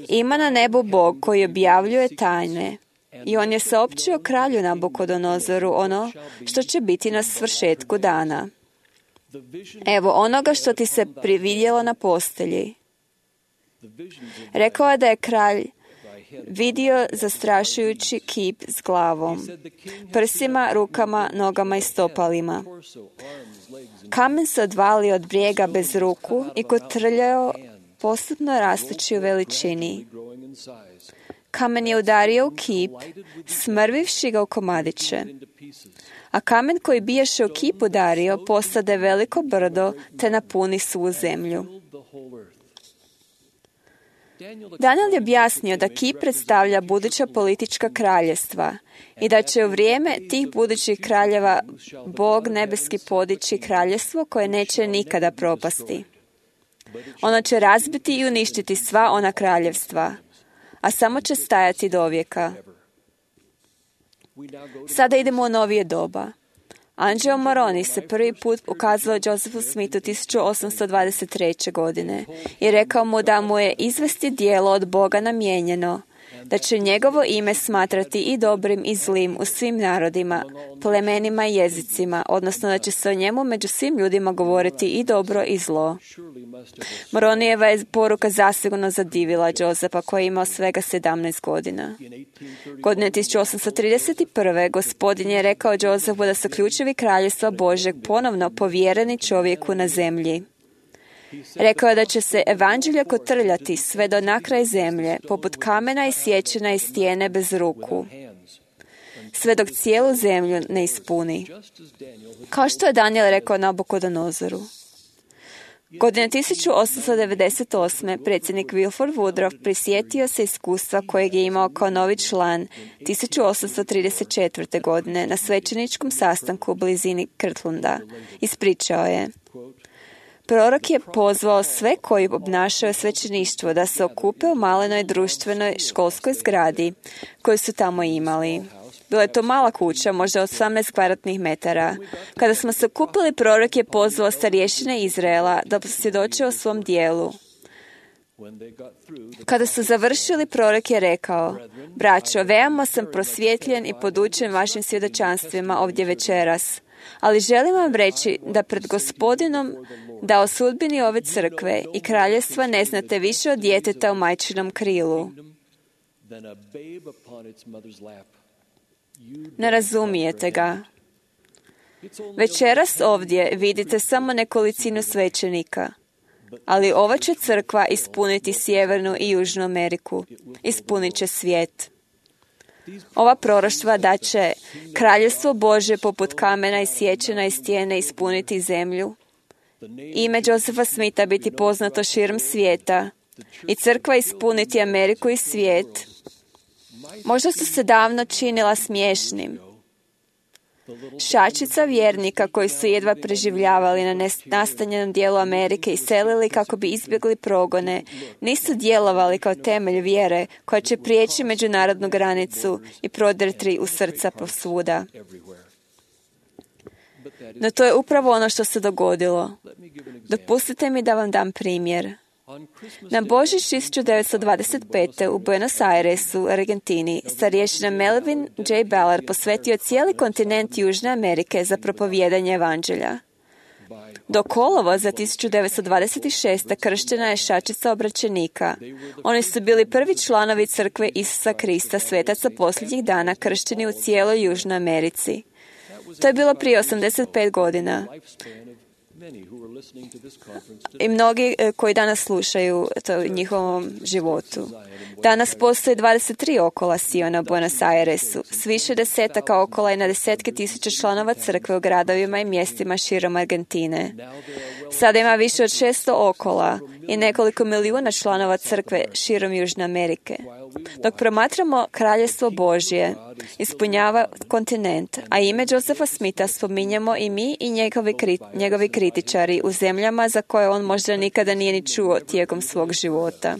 ima na nebu Bog koji objavljuje tajne i on je saopćio kralju Nabukodonozoru ono što će biti na svršetku dana. Evo onoga što ti se prividjelo na postelji. Rekao je da je kralj vidio zastrašujući kip s glavom, prsima, rukama, nogama i stopalima. Kamen se odvalio od brijega bez ruku i kotrljao, postupno rastući u veličini. Kamen je udario u kip, smrvivši ga u komadiće. A kamen koji biješe u kip udario posade veliko brdo te napuni svu zemlju. Daniel je objasnio da kip predstavlja buduća politička kraljestva i da će u vrijeme tih budućih kraljeva Bog nebeski podići kraljestvo koje neće nikada propasti. Ono će razbiti i uništiti sva ona kraljevstva, a samo će stajati do vijeka. Sada idemo u novije doba. Angelo Moroni se prvi put ukazao Josephu Smithu tisuću osamsto dvadeset treće. godine i rekao mu da mu je izvesti djelo od Boga namijenjeno, da će njegovo ime smatrati i dobrim i zlim u svim narodima, plemenima i jezicima, odnosno da će se o njemu među svim ljudima govoriti i dobro i zlo. Moronijeva je poruka zasigurno zadivila Josefa koji je imao svega sedamnaest godina. Godine tisuću osamsto trideset prve. gospodin je rekao Josefu da su ključevi kraljestva Božeg ponovno povjereni čovjeku na zemlji. Rekao je da će se evanđelje kotrljati sve do nakraj zemlje, poput kamena i sječina i stijene bez ruku, sve dok cijelu zemlju ne ispuni. Kao što je Daniel rekao Nabukodonozoru. Godine tisuću osamsto devedeset osme. predsjednik Wilford Woodruff prisjetio se iskustva kojeg je imao kao novi član tisuću osamsto trideset četvrte. godine na svećeničkom sastanku u blizini Kirtlanda. Ispričao je: prorok je pozvao sve koji obnašaju svećeništvo da se okupe u malenoj društvenoj školskoj zgradi koju su tamo imali. Bila je to mala kuća, možda osamnaest kvadratnih metara. Kada smo se okupili, prorok je pozvao starješine Izraela da posvjedoče o svom dijelu. Kada su završili, prorok je rekao: braćo, veoma sam prosvjetljen i podučen vašim svjedočanstvima ovdje večeras, ali želim vam reći da pred Gospodinom, da o sudbini ove crkve i kraljestva ne znate više od djeteta u majčinom krilu. Ne razumijete ga. Večeras ovdje vidite samo nekolicinu svećenika, ali ova će crkva ispuniti Sjevernu i Južnu Ameriku. Ispunit će svijet. Ova proroštva da će kraljevstvo Božje poput kamena i sječena iz stijene ispuniti zemlju, ime Josefa Smitha biti poznato širom svijeta i crkva ispuniti Ameriku i svijet, možda su se davno činila smiješnim. Šačica vjernika koji su jedva preživljavali na nastanjenom dijelu Amerike i selili kako bi izbjegli progone, nisu djelovali kao temelj vjere koja će prijeći međunarodnu granicu i prodrti u srca posvuda. No to je upravo ono što se dogodilo. Dopustite mi da vam dam primjer. Na Božić tisuću devetsto dvadeset pete. u Buenos Airesu, Argentini, starješina Melvin J. Ballard posvetio cijeli kontinent Južne Amerike za propovijedanje evanđelja. Do kolovoza tisuću devetsto dvadeset šeste. krštena je šačica obraćenika. Oni su bili prvi članovi crkve Isusa Krista, svetaca posljednjih dana, kršteni u cijeloj Južnoj Americi. To je bilo prije osamdeset pet godina. I mnogi koji danas slušaju to u njihovom životu. Danas postoje dvadeset tri okola Siona u Buenos Airesu, s više desetaka okola i na desetke tisuća članova crkve u gradovima i mjestima širom Argentine. Sada ima više od šesto okola i nekoliko milijuna članova crkve širom Južne Amerike. Dok promatramo kraljevstvo Božje, ispunjava kontinent, a ime Josefa Smitha spominjemo i mi i njegovi, kri, njegovi kritičari u zemljama za koje on možda nikada nije ni čuo tijekom svog života.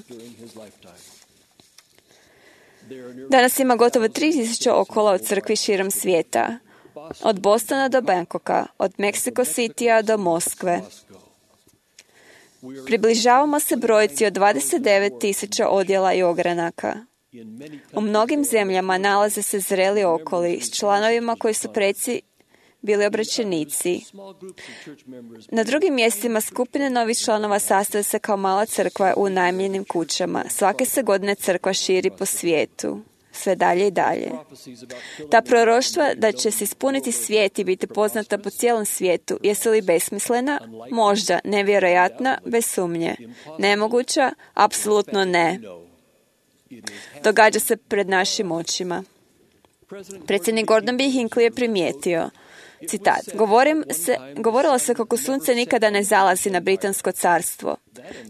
Danas ima gotovo tri tisuće okola od crkvi širom svijeta, od Bostona do Bangkoka, od Mexico Citya do Moskve. Približavamo se brojci od dvadeset devet tisuća odjela i ogranaka. U mnogim zemljama nalaze se zreli okoli s članovima koji su preci bili obraćenici. Na drugim mjestima skupine novih članova sastaju se kao mala crkva u unajmljenim kućama. Svake se godine crkva širi po svijetu. Sve dalje i dalje. Ta proroštva da će se ispuniti svijet i biti poznata po cijelom svijetu, jesu li besmislena? Možda, nevjerojatna, bez sumnje. Nemoguća? Apsolutno ne. Događa se pred našim očima. Predsjednik Gordon B. Hinckley je primijetio, citat, Govorim se, govorilo se kako sunce nikada ne zalazi na Britansko carstvo.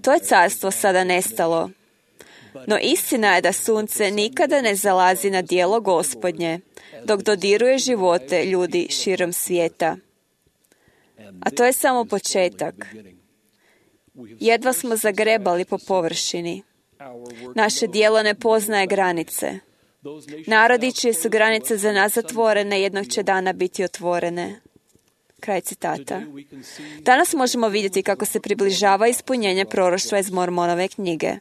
To je carstvo sada nestalo. No istina je da sunce nikada ne zalazi na djelo Gospodnje, dok dodiruje živote ljudi širom svijeta. A to je samo početak. Jedva smo zagrebali po površini. Naše djelo ne poznaje granice. Narodi čije su granice za nas zatvorene, jednog će dana biti otvorene. Kraj citata. Danas možemo vidjeti kako se približava ispunjenje proroštva iz Mormonove knjige.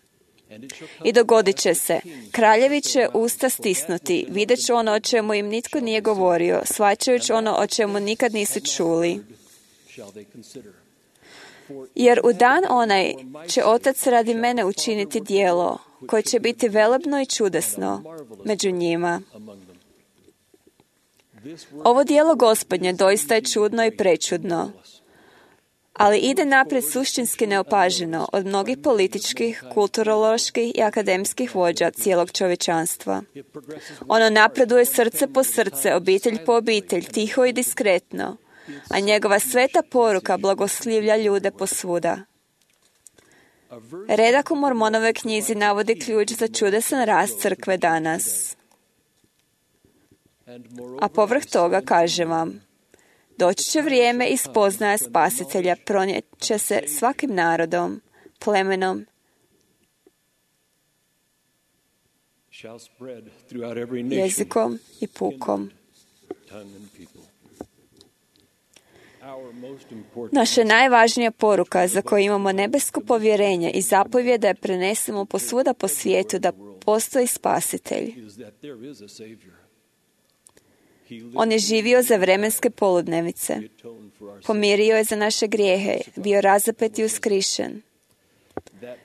I dogodit će se. Kraljevi će usta stisnuti, vidjet će ono o čemu im nitko nije govorio, shvaćajući ono o čemu nikad nisu čuli. Jer u dan onaj će Otac radi mene učiniti djelo, koje će biti velebno i čudesno među njima. Ovo djelo Gospodnje doista je čudno i prečudno, ali ide naprijed suštinski neopaženo od mnogih političkih, kulturoloških i akademskih vođa cijelog čovječanstva. Ono napreduje srce po srce, obitelj po obitelj, tiho i diskretno, a njegova sveta poruka blagoslivlja ljude posvuda. Redak u Mormonove knjizi navodi ključ za čudesan rast crkve danas. A povrh toga kaže vam, doći će vrijeme i spoznaja Spasitelja pronijet će se svakim narodom, plemenom jezikom i pukom. Naša najvažnija poruka za koju imamo nebesko povjerenje i zapovjed da je prenesemo posvuda po svijetu da postoji spasitelj. On je živio za vremenske poludnevice. Pomirio je za naše grijehe, bio razapet i uskrišen.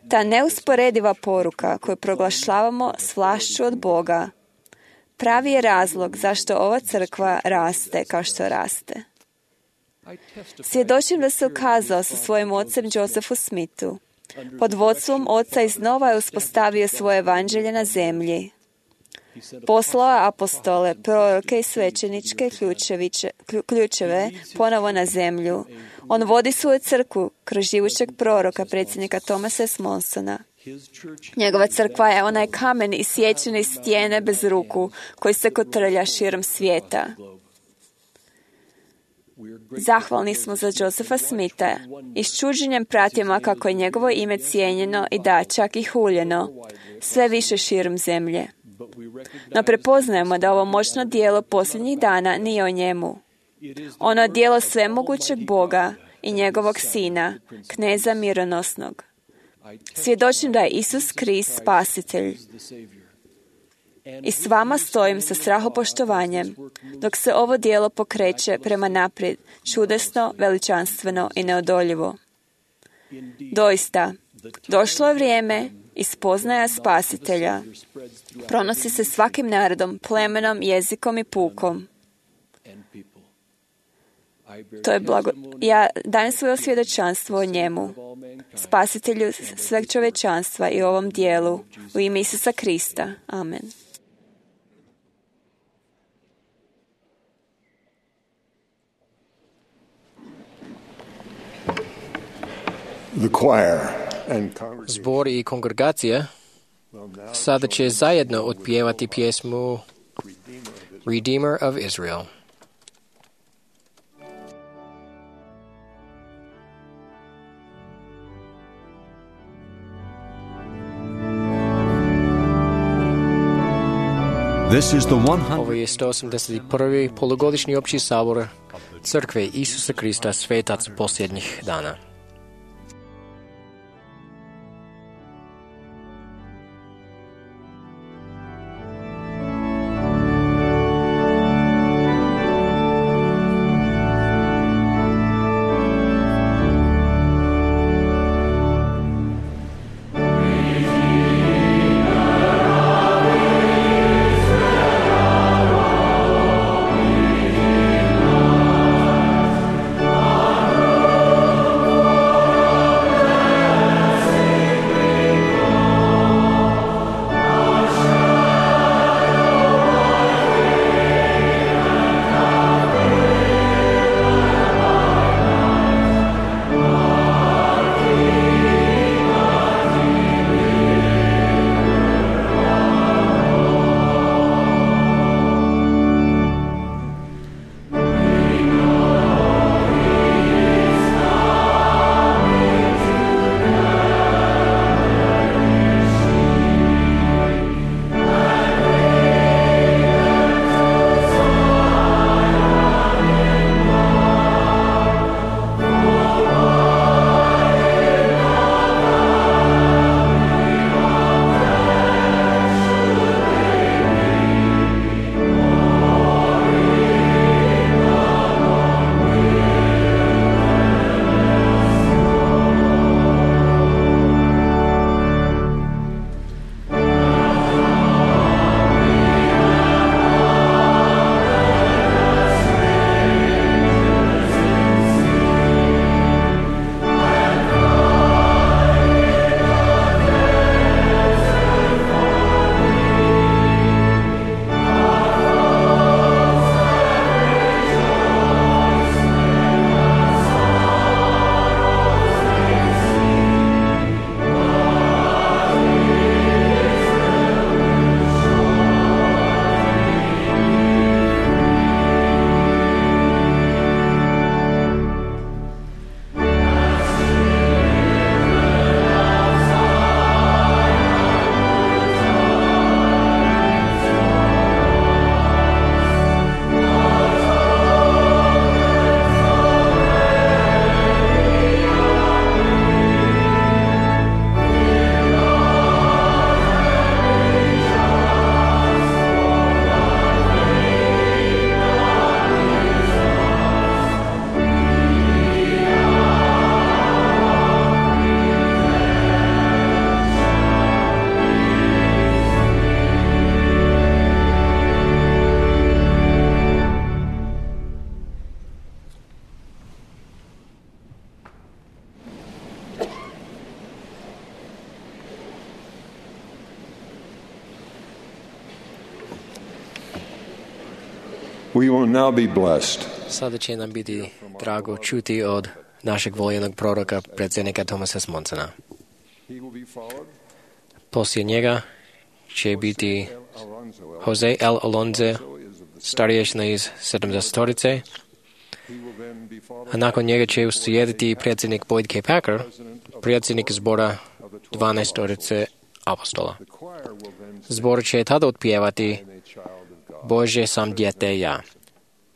Ta neusporediva poruka koju proglašavamo s vlašću od Boga pravi je razlog zašto ova crkva raste kao što raste. Svjedočim da se ukazao sa svojim ocem Josephu Smithu. Pod vodstvom oca iznova je uspostavio svoje evanđelje na zemlji. Poslao je apostole, proroke i svećeničke ključeve ponovo na zemlju. On vodi svoju crkvu kroz živućeg proroka, predsjednika Thomasa S. Monsona. Njegova crkva je onaj kamen i sječene stijene bez ruku koji se kotrlja širom svijeta. Zahvalni smo za Josepha Smitha i s čuđenjem pratimo kako je njegovo ime cijenjeno i da čak i huljeno sve više širom zemlje. No prepoznajemo da ovo moćno dijelo posljednjih dana nije o njemu. Ono je dijelo svemogućeg Boga i njegovog Sina, kneza mironosnog. Svjedočim da je Isus Krist spasitelj. I s vama stojim sa strahopoštovanjem, dok se ovo dijelo pokreće prema naprijed, čudesno, veličanstveno i neodoljivo. Doista, došlo je vrijeme i spoznaja spasitelja pronosi se svakim narodom, plemenom, jezikom i pukom. To je blago... Ja dajem svoje svjedočanstvo o njemu, spasitelju sveg čovječanstva i ovom dijelu, u ime Isusa Krista. Amen. Zbor i kongregacija sada će zajedno otpjevati pjesmu Redeemer of Israel. Ovo je sto osamdeset prvi polugodišnji opći sabor Crkve Isusa Krista, svetac posljednjih dana. Oh We will now be blessed. Sada će nam biti drago čuti od našeg voljenog proroka, predsjednika Thomasa Smonsona. Poslije njega će biti Jose L. Alonze, starješina iz sedamdesetorice, a nakon njega će uslijediti predsjednik Boyd K. Packer, predsjednik zbora dvanaestorice apostola. Zbor će tada otpjevati Bože sam dijete ja.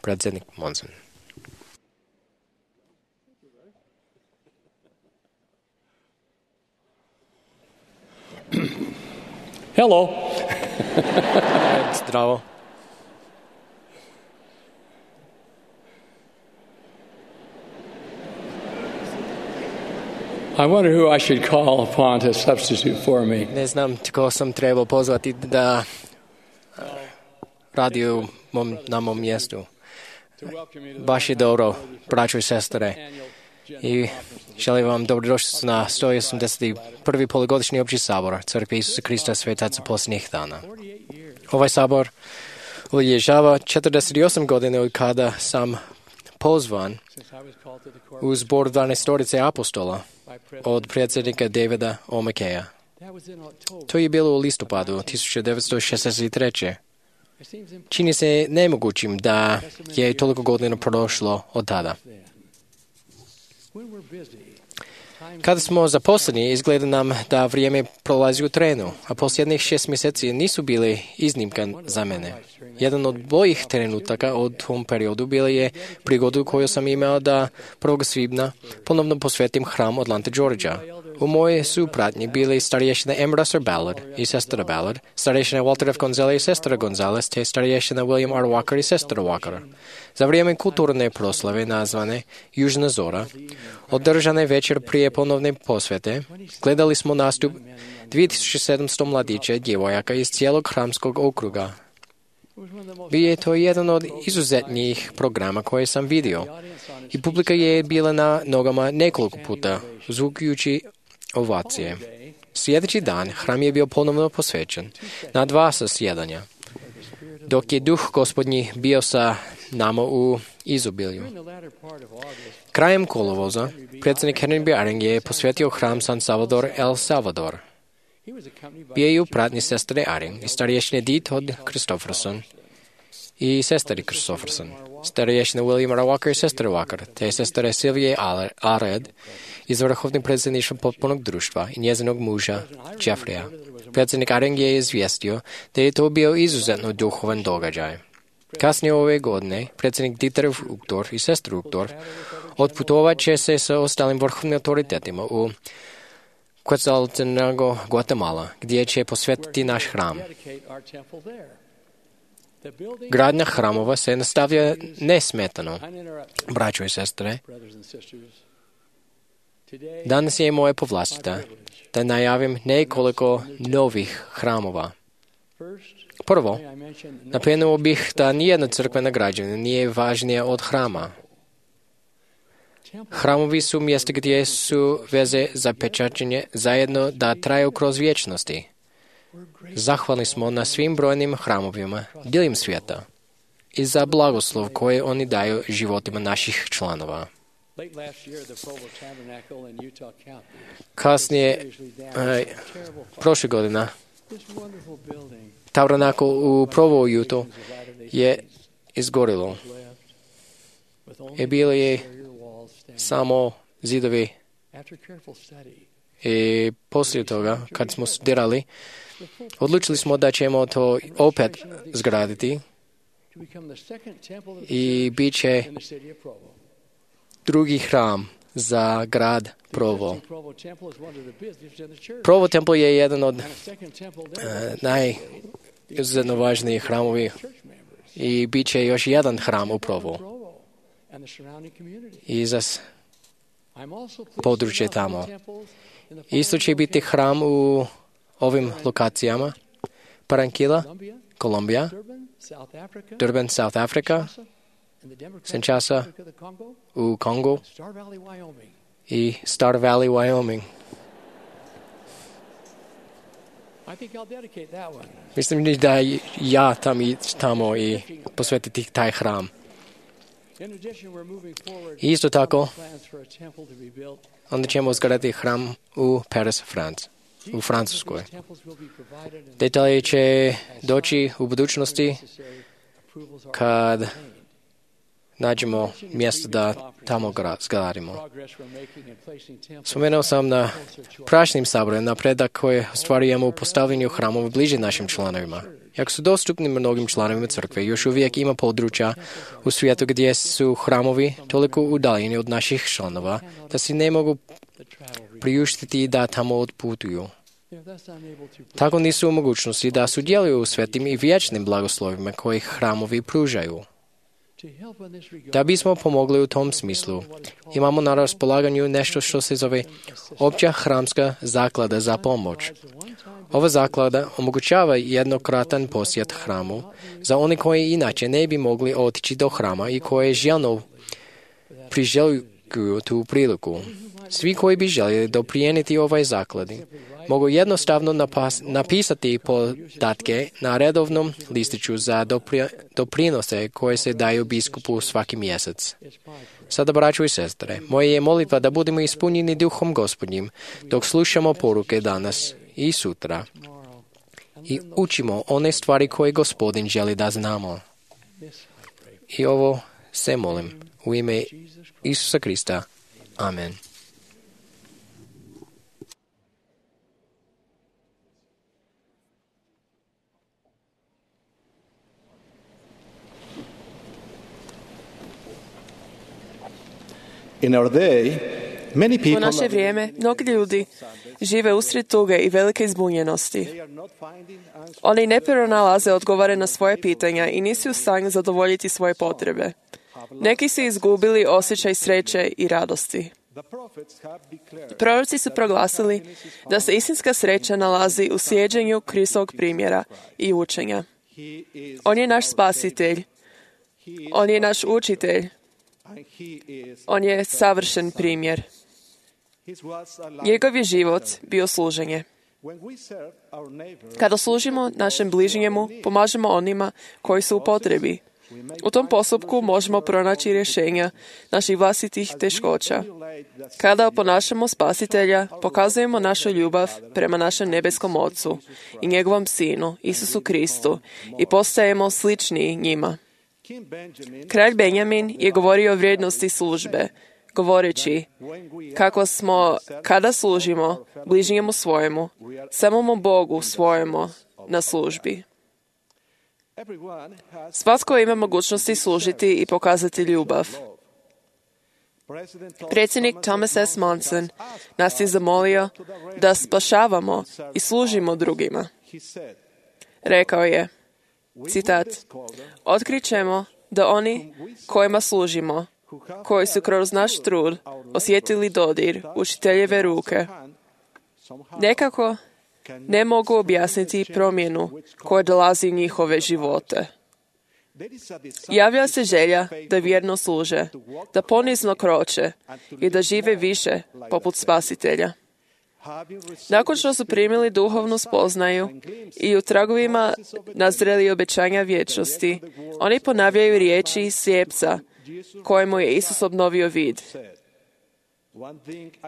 Predsjednik Monson. Hello. Zdravo. I wonder who I should call upon to substitute for me. Ne znam tko sam trebao pozvati da radi u mom, na mom mjestu. Baš je dobro, braćo i sestre. I želim vam dobrodošlicu na sto osamdeset prvi polugodišnji opći sabor Crkve Isusa Krista svetaca posljednjih dana. Ovaj sabor obilježava četrdeset osam godine od kada sam pozvan u zbor dvanaestorice apostola od predsjednika Davida O. McKeya. To je bilo u listopadu tisuću devetsto šezdeset treće. Čini se nemogućim da je toliko godina prošlo od tada. Kada smo zaposleni, izgleda nam da vrijeme prolazi u trenu, a posljednjih šest mjeseci nisu bili iznimka za mene. Jedan od boljih trenutaka od tom periodu bila je prigodu koju sam imao da prvog svibnja ponovno posvetim hram Atlanta, Georgia. U moje su pratnji bili starješina M. Russell Ballard i sestra Ballard, starješina Walter F. Gonzalez i sestra Gonzalez, te starješina William R. Walker i sestra Walker. Za vrijeme kulturne proslave nazvane Južna zora, održane večer prije ponovne posvete, gledali smo nastup dvije tisuće sedamsto mladića i djevojaka iz cijelog hramskog okruga. Bio je to jedan od izuzetnijih programa koje sam vidio i publika je bila na nogama nekoliko puta, zvukujući ovacije. Sljedeći dan hram je bio ponovno posvećen na dva zasjedanja, dok je duh gospodnji bio sa nama u izobilju. Krajem kolovoza, predsjednik Henry Baring je posvetio hram San Salvador, El Salvador. Bio je u pratnji sestre Aring i starješine Dee Todd Christopherson i sestri Christopherson, starješine William R. Walker i sestre Walker, te sestre Sylvie Ared iz vrhovnog predsjedništva potpunog društva i njezinog muža Jeffreya. Predsjednik Aring je izvijestio da je to bio izuzetno duhovan događaj. Kasnije ove godine, predsjednik Dieter Uchtdorf i sestra Uchtdorf otputovat će se sa ostalim vrhovnim autoritetima u Quetzaltenango, Guatemala, gdje će posvetiti naš hram. Gradnja hramova se nastavlja nesmetano, braćo i sestre. Danas je moje povlastica da najavim nekoliko novih hramova. Prvo, napomenuo bih da nijedna crkvena građevina nije važnija od hrama. Hramovi su mjesta gdje su veze za pečačenje zajedno da traju kroz vječnosti. Zahvalni smo na svim brojnim hramovima diljem svijeta i za blagoslov koje oni daju životima naših članova. Kasnije, eh, prošle godina, Tabernakl u Provo, Utah je izgorilo. I bili je samo zidovi. I poslije toga, kad smo studirali, odlučili smo da ćemo to opet zgraditi i bit će drugi hram za grad Provo. Provo tempel je jedan od uh, najizuzetno važnijih hramovi i bit će još jedan hram u Provo i za područje tamo. Isto će biti hram u ovim lokacijama: Parankila, Kolumbija, Durban, South Africa, Kinshasa u Kongu i Star Valley, Wyoming. Mislim da ja tam i tamo i posvetiti taj hram. Isto tako, onda ćemo izgraditi hram u Paris, France, u Francuskoj. Detalje će doći u budućnosti kad nađemo mjesto da tamo zgradimo. Spomenuo sam na prašnim saboru napredak koje ostvarujemo u postavljanju hramova bliže našim članovima. Jako su dostupni mnogim članovima crkve, još uvijek ima područja u svijetu gdje su hramovi toliko udaljeni od naših članova da si ne mogu priuštiti da tamo odputuju. Tako nisu u mogućnosti da sudjeluju u svetim i vječnim blagoslovima koje hramovi pružaju. Da bismo pomogli u tom smislu, imamo na raspolaganju nešto što se zove Opća hramska zaklada za pomoć. Ova zaklada omogućava jednokratan posjet hramu za one koji inače ne bi mogli otići do hrama i koje željno priželjkuju tu priliku. Svi koji bi željeli doprijeniti ovoj zakladi mogu jednostavno napas, napisati podatke na redovnom listiću za dopri, doprinose koje se daju biskupu svaki mjesec. Sada, braćo i sestre, moja je molitva da budemo ispunjeni duhom Gospodnjim dok slušamo poruke danas i sutra i učimo one stvari koje Gospodin želi da znamo. I ovo se molim u ime Isusa Krista. Amen. In our day, many people U naše vrijeme, mnogi ljudi žive usred tuge i velike izbunjenosti. Oni ne pronalaze odgovore na svoje pitanja i nisu u stanju zadovoljiti svoje potrebe. Neki su izgubili osjećaj sreće i radosti. Proroci su proglasili da se istinska sreća nalazi u slijeđenju Kristovog primjera i učenja. On je naš spasitelj. On je naš učitelj. On je savršen primjer. Njegov je život bio služenje. Kada služimo našem bližnjemu, pomažemo onima koji su u potrebi. U tom postupku možemo pronaći rješenja naših vlastitih teškoća. Kada oponašamo Spasitelja, pokazujemo našu ljubav prema našem nebeskom Ocu i njegovom Sinu, Isusu Kristu, i postajemo slični njima. Kralj Benjamin je govorio o vrijednosti službe, govoreći kako smo, kada služimo bližnjemu svojemu, samому Bogu svojemu na službi. Svatko ima mogućnosti služiti i pokazati ljubav. Predsjednik Thomas S. Monson nas je zamolio da spašavamo i služimo drugima. Rekao je, citat, otkrićemo da oni kojima služimo, koji su kroz naš trud osjetili dodir učiteljeve ruke, nekako ne mogu objasniti promjenu koja dolazi u njihove živote. Javlja se želja da vjerno služe, da ponizno kroče i da žive više poput Spasitelja. Nakon što su primili duhovnu spoznaju i u tragovima nazreli obećanja vječnosti, oni ponavljaju riječi slijepca kojemu je Isus obnovio vid.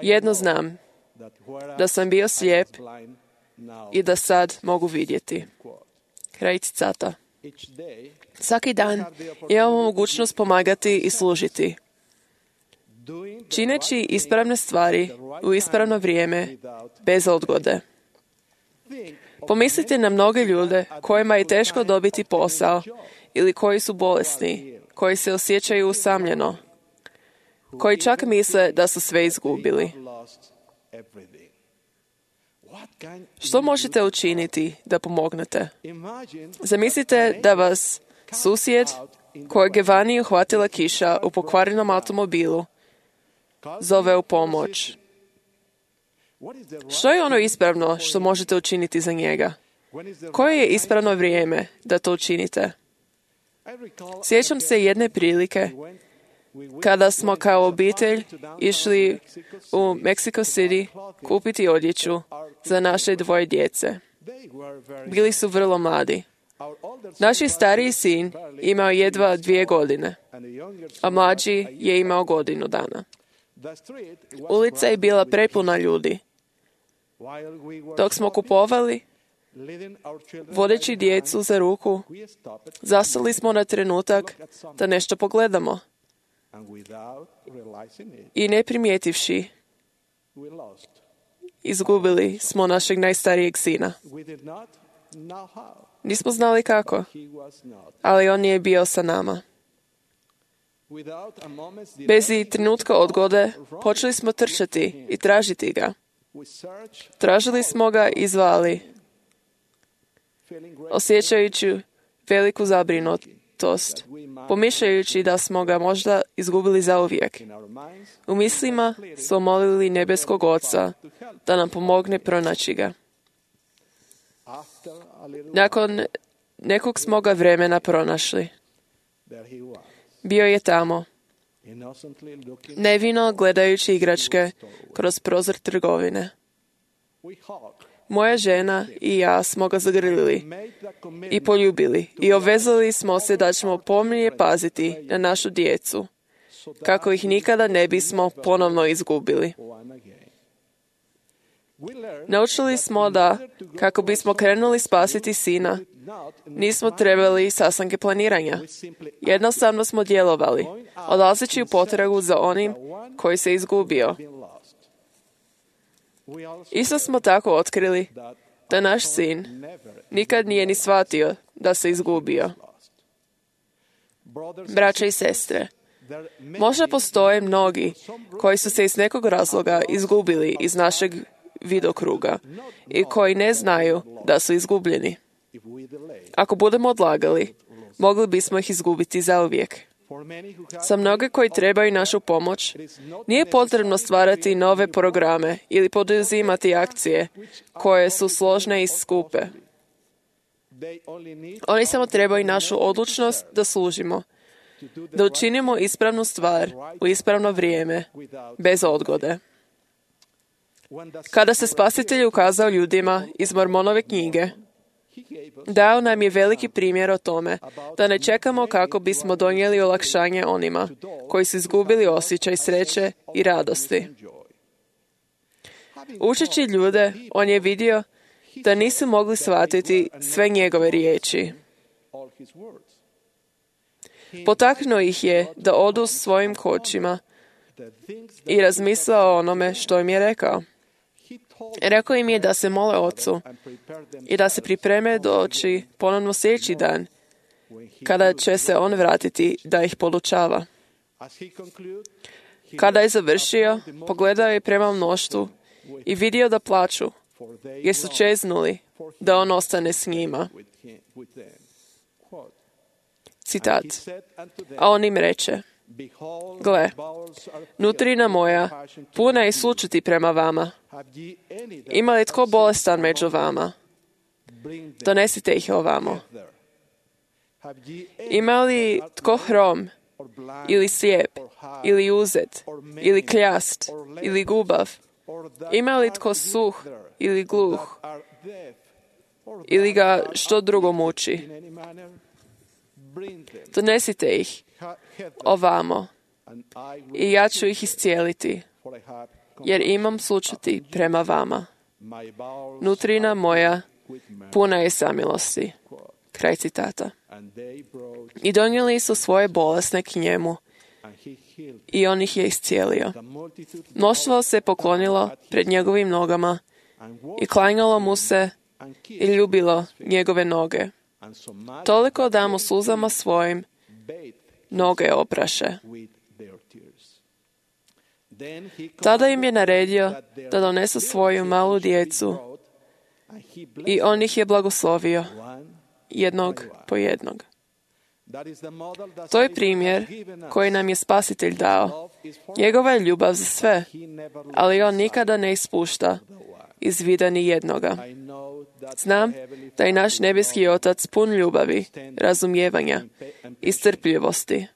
Jedno znam, da sam bio slijep i da sad mogu vidjeti. Kraj citata. Svaki dan imamo mogućnost pomagati i služiti. Čineći ispravne stvari u ispravno vrijeme, bez odgode. Pomislite na mnoge ljude kojima je teško dobiti posao ili koji su bolesni, koji se osjećaju usamljeno, koji čak misle da su sve izgubili. Što možete učiniti da pomognete? Zamislite da vas susjed kojeg je vani uhvatila kiša u pokvarenom automobilu zove u pomoć. Što je ono ispravno što možete učiniti za njega? Koje je ispravno vrijeme da to učinite? Sjećam se jedne prilike kada smo kao obitelj išli u Mexico City kupiti odjeću za naše dvoje djece. Bili su vrlo mladi. Naš stariji sin imao jedva dvije godine, a mlađi je imao godinu dana. Ulica je bila prepuna ljudi. Dok smo kupovali, vodeći djecu za ruku, zastali smo na trenutak da nešto pogledamo. I ne primijetivši, izgubili smo našeg najstarijeg sina. Nismo znali kako, ali on nije bio sa nama. Bez i trenutka odgode počeli smo trčati i tražiti ga. Tražili smo ga i zvali, osjećajući veliku zabrinutost, pomišljajući da smo ga možda izgubili zauvijek. U mislima smo molili nebeskog Oca da nam pomogne pronaći ga. Nakon nekog smo ga vremena pronašli. Bio je tamo, nevino gledajući igračke kroz prozor trgovine. Moja žena i ja smo ga zagrlili i poljubili i obvezali smo se da ćemo pomnije paziti na našu djecu, kako ih nikada ne bismo ponovno izgubili. Naučili smo da, kako bismo krenuli spasiti sina, nismo trebali sastanke planiranja. Jednostavno smo djelovali, odlazeći u potragu za onim koji se izgubio. Isto smo tako otkrili da naš sin nikad nije ni shvatio da se izgubio. Braće i sestre, možda postoje mnogi koji su se iz nekog razloga izgubili iz našeg vidokruga i koji ne znaju da su izgubljeni. Ako budemo odlagali, mogli bismo ih izgubiti zauvijek. Za mnoge koji trebaju našu pomoć, nije potrebno stvarati nove programe ili poduzimati akcije koje su složne i skupe. Oni samo trebaju našu odlučnost da služimo, da učinimo ispravnu stvar u ispravno vrijeme, bez odgode. Kada se Spasitelj ukazao ljudima iz Mormonove knjige, dao nam je veliki primjer o tome da ne čekamo kako bismo donijeli olakšanje onima koji su izgubili osjećaj sreće i radosti. Učeći ljude, on je vidio da nisu mogli shvatiti sve njegove riječi. Potaknuo ih je da odu svojim kočima i razmisle o onome što im je rekao. Rekao im je da se mole Ocu i da se pripreme doći ponovno sljedeći dan, kada će se on vratiti da ih podučava. Kada je završio, pogledao je prema mnoštvu i vidio da plaču, jer su čeznuli da on ostane s njima. Citat. A on im reče, gle, nutrina moja puna je sućuti prema vama. Ima li tko bolestan među vama? Donesite ih ovamo. Ima li tko hrom, ili slijep, ili uzet, ili kljast, ili gubav? Ima li tko suh, ili gluh, ili ga što drugo muči? Donesite ih ovamo i ja ću ih iscijeliti, jer imam sućuti prema vama. Nutrina moja puna je samilosti. Kraj citata. I donijeli su svoje bolesne k njemu i on ih je iscijelio. Mnoštvo se poklonilo pred njegovim nogama i klanjalo mu se i ljubilo njegove noge. Toliko da mu suzama svojim noge opraše. Tada im je naredio da donesu svoju malu djecu i on ih je blagoslovio, jednog po jednog. To je primjer koji nam je Spasitelj dao. Njegova je ljubav za sve, ali on nikada ne ispušta iz vida ni jednoga. Znam da je naš nebeski Otac pun ljubavi, razumijevanja i strpljivosti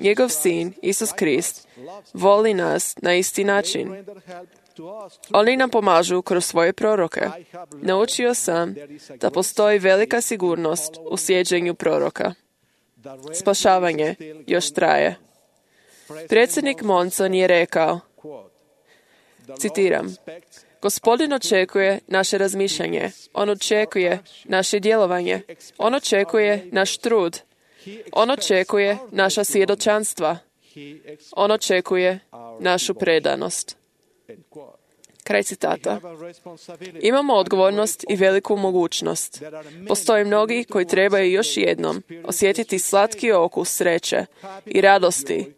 Njegov sin, Isus Krist, voli nas na isti način. Oni nam pomažu kroz svoje proroke. Naučio sam da postoji velika sigurnost u slijeđenju proroka. Spašavanje još traje. Predsjednik Monson je rekao, citiram, Gospodin očekuje naše razmišljanje. On očekuje naše djelovanje. On očekuje naš trud. On očekuje naša svjedočanstva. On očekuje našu predanost. Kraj citata. Imamo odgovornost i veliku mogućnost. Postoje mnogi koji trebaju još jednom osjetiti slatki okus sreće i radosti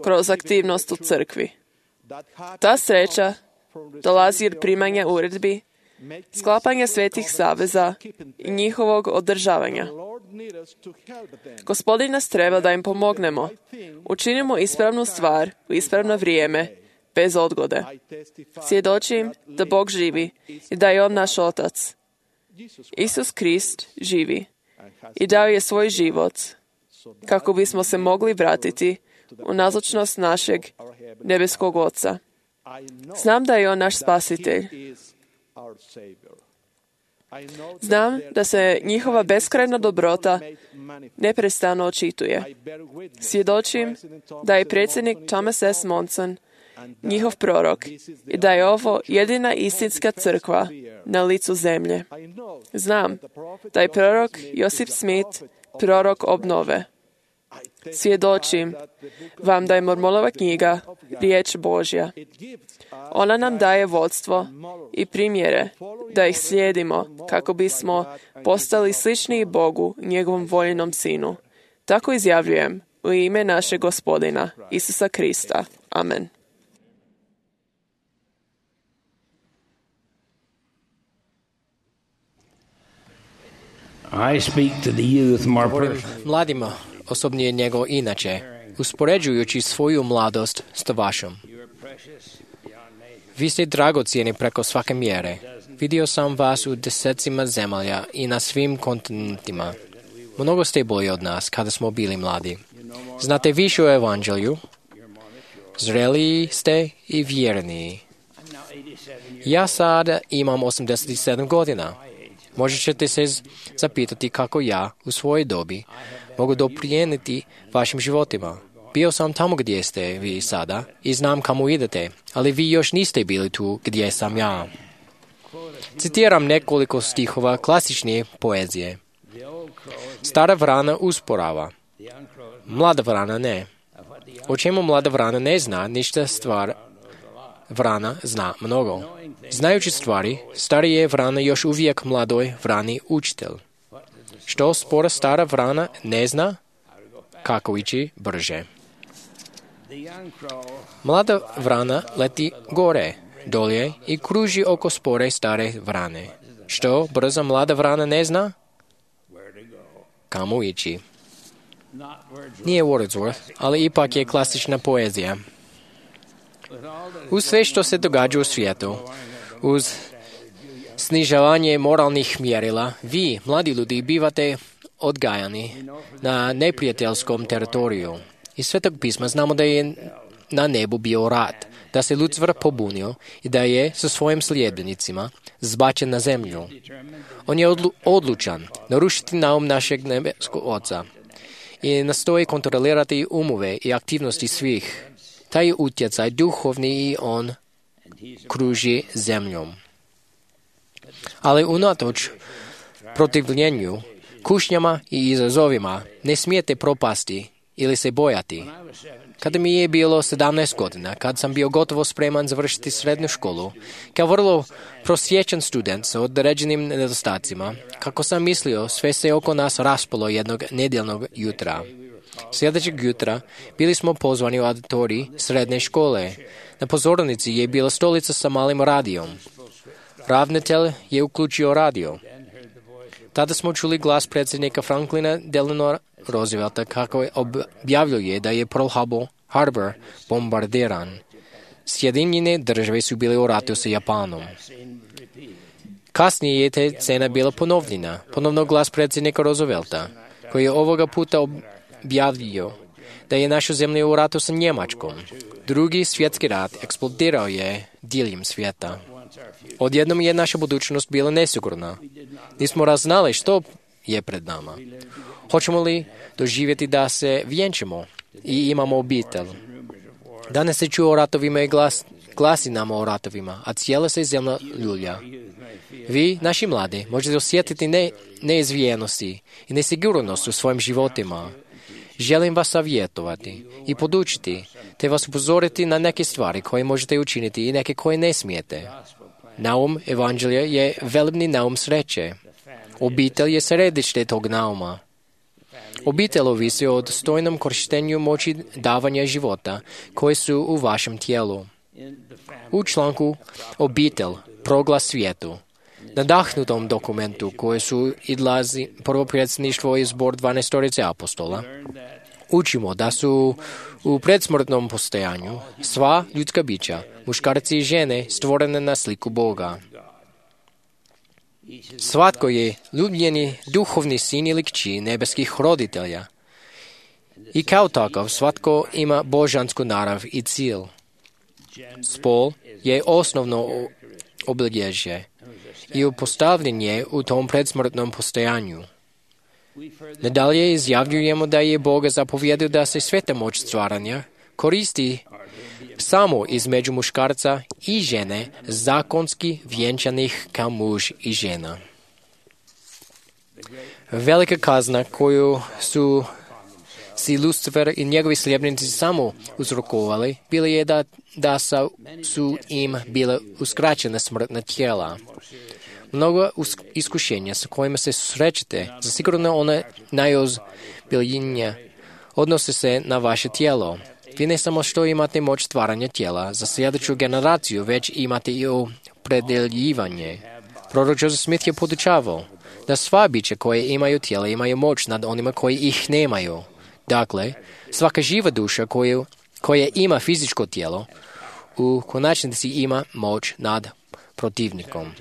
kroz aktivnost u crkvi. Ta sreća dolazi od primanja uredbi, sklapanja svetih saveza i njihovog održavanja. Gospodin nas treba da im pomognemo. Učinimo ispravnu stvar u ispravno vrijeme, bez odgode. Svjedočim da Bog živi i da je On naš Otac. Isus Krist živi i dao je svoj život kako bismo se mogli vratiti u nazočnost našeg nebeskog Oca. Znam da je On naš spasitelj. Znam da se njihova beskrajna dobrota neprestano očituje. Svjedočim da je predsjednik Thomas S. Monson njihov prorok i da je ovo jedina istinska crkva na licu zemlje. Znam da je prorok Josip Smith prorok obnove. Svjedočim vam da je Mormonova knjiga riječ Božja. Ona nam daje vodstvo i primjere da ih slijedimo kako bismo postali slični Bogu, njegovom voljenom sinu. Tako izjavljujem u ime našeg Gospodina, Isusa Krista. Amen. I speak to the youth more Govorim mladima, osobnije nego inače, uspoređujući svoju mladost s vašom. Vi ste dragocijeni preko svake mjere. Vidio sam vas u desecima zemalja i na svim kontinentima. Mnogo ste bolji od nas kada smo bili mladi. Znate više o evanđelju, zreliji ste i vjerniji. Ja sada imam osamdeset sedam godina. Možda ćete se zapitati kako ja, u svojoj dobi, mogu doprijeniti vašim životima. Bio sam tamo gdje ste vi sada i znam kamo idete, ali vi još niste bili tu gdje sam ja. Citiram nekoliko stihova klasične poezije. Stara vrana usporava, mlada vrana ne. O čemu mlada vrana ne zna, ništa stvar vrana zna mnogo. Znajući stvari, starije vrana još uvijek mladoj vrani učitelj. Što spora stara vrana ne zna, kako ići brže. Mlada vrana leti gore, dolje i kruži oko spore stare vrane. Što brza mlada vrana ne zna, kamo ići. Nije Wordsworth, ali ipak je klasična poezija. Uz sve što se događa u svijetu, uz snižavanje moralnih mjerila, vi, mladi ljudi, bivate odgajani na neprijateljskom teritoriju. Iz Svetog pisma znamo da je na nebu bio rat, da se Lucifer pobunio i da je sa svojim sljedbenicima zbačen na zemlju. On je odlu- odlučan narušiti naum našeg nebeskog Oca i nastoji kontrolirati umove i aktivnosti svih. Taj utjecaj duhovni i on kruži zemljom. Ali unatoč protivljenju, kušnjama i izazovima ne smijete propasti ili se bojati. Kada mi je bilo sedamnaest godina, kad sam bio gotovo spreman završiti srednju školu, kao vrlo prosječan student sa određenim nedostacima, kako sam mislio, sve se oko nas raspalo jednog nedjeljnog jutra. Sljedećeg jutra bili smo pozvani u auditorij srednje škole. Na pozornici je bila stolica sa malim radijom. Ravnatelj je uključio radio. Tada smo čuli glas predsjednika Franklina Delano Roosevelta kako objavljuje da je Pearl Harbor bombardiran. Sjedinjene države su bile u ratu sa Japanom. Kasnije je te scena bila ponovljena. Ponovno glas predsjednika Roosevelta, koji je ovoga puta objavio da je naša zemlja u ratu sa Njemačkom. Drugi svjetski rat eksplodirao je diljem svijeta. Odjednom je naša budućnost bila nesigurna. Nismo raznali što je pred nama. Hoćemo li doživjeti da se vjenčamo i imamo obitelj? Danas se čuo o ratovima i glas, glasi nama o ratovima, a cijela se zemlja ljulja. Vi, naši mladi, možete osjetiti ne, neizvijenosti i nesigurnost u svojim životima. Želim vas savjetovati i podučiti, te vas upozoriti na neke stvari koje možete učiniti i neke koje ne smijete. Naum evanđelja je velebni naum sreće. Obitelj je središte tog nauma. Obitelj ovisi o dostojnom korištenju moći davanja života koje su u vašem tijelu. U članku Obitelj, proglas svijetu, nadahnutom dokumentu koje su idlazi prvo predsjedništvo i zbor dvanaestorice apostola, učimo da su u predsmrtnom postojanju sva ljudska bića, muškarci i žene, stvorene na sliku Boga. Svatko je ljubljeni duhovni sin ili kći nebeskih roditelja. I kao takav svatko ima božansku narav i cilj. Spol je osnovno obilježje i upostavljen je u tom predsmrtnom postojanju. Nadalje izjavljujemo da je Bog zapovjedio da se sveta moć stvaranja koristi samo između muškarca i žene zakonski vjenčanih kao muž i žena. Velika kazna koju su si Lucifer i njegovi sljedbenici samo uzrokovali bila je da, da su im bile uskraćene smrtna tijela. Mnogo iskušenja sa kojima se susrećete, zasigurno one najozbiljnije odnose se na vaše tijelo. Vi ne samo što imate moć stvaranja tijela za sljedeću generaciju, već imate i opredeljivanje. Prorok Joseph Smith je podučavao da sva bića koje imaju tijela imaju moć nad onima koji ih nemaju. Dakle, svaka živa duša koju, koja ima fizičko tijelo, u konačnici ima moć nad protivnikom.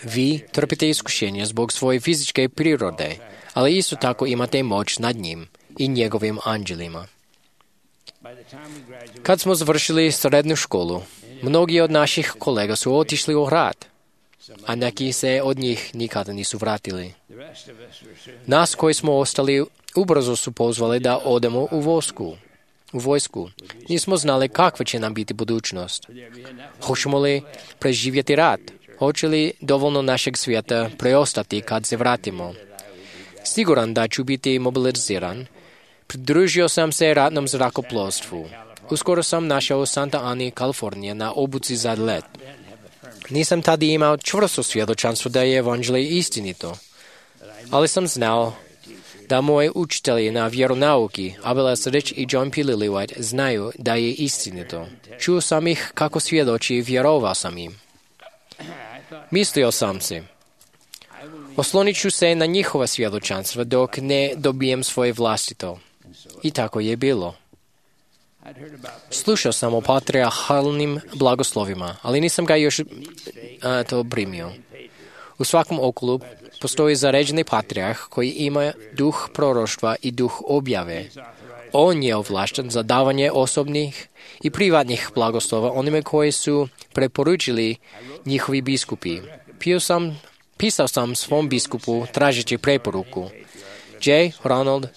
Vi trpite iskušenje zbog svoje fizičke prirode, ali isto tako imate moć nad njim i njegovim anđelima. Kad smo završili srednju školu, mnogi od naših kolega su otišli u rat, a neki se od njih nikada nisu vratili. Nas koji smo ostali ubrzo su pozvali da odemo u vojsku. U vojsku. Nismo znali kakva će nam biti budućnost. Hoćemo li preživjeti rat? Hoće li dovoljno našeg svijeta preostati kad se vratimo? Siguran da ću biti mobiliziran, pridružio sam se ratnom zrakoplovstvu. Uskoro sam našao u Santa Ani, Kalifornija, na obuci za let. Nisam tada imao čvrsto svjedočanstvo da je evanđelje istinito, ali sam znao da moji učitelji na vjeronauki, Abel Esrich i John P. Lillywhite, znaju da je istinito. Čuo sam ih kako svjedoči i vjerovao sam im. Mislio sam si, oslonit ću se na njihova svjedočanstva dok ne dobijem svoje vlastito. I tako je bilo. Slušao sam o patrijarhalnim blagoslovima, ali nisam ga još a, to primio. U svakom okolu postoji zaređeni patrijarh koji ima duh proroštva i duh objave. On je ovlašten za davanje osobnih i privatnih blagoslova onime koji su preporučili njihovi biskupi. Pio sam, pisao sam svom biskupu tražeći preporuku. J. Ronald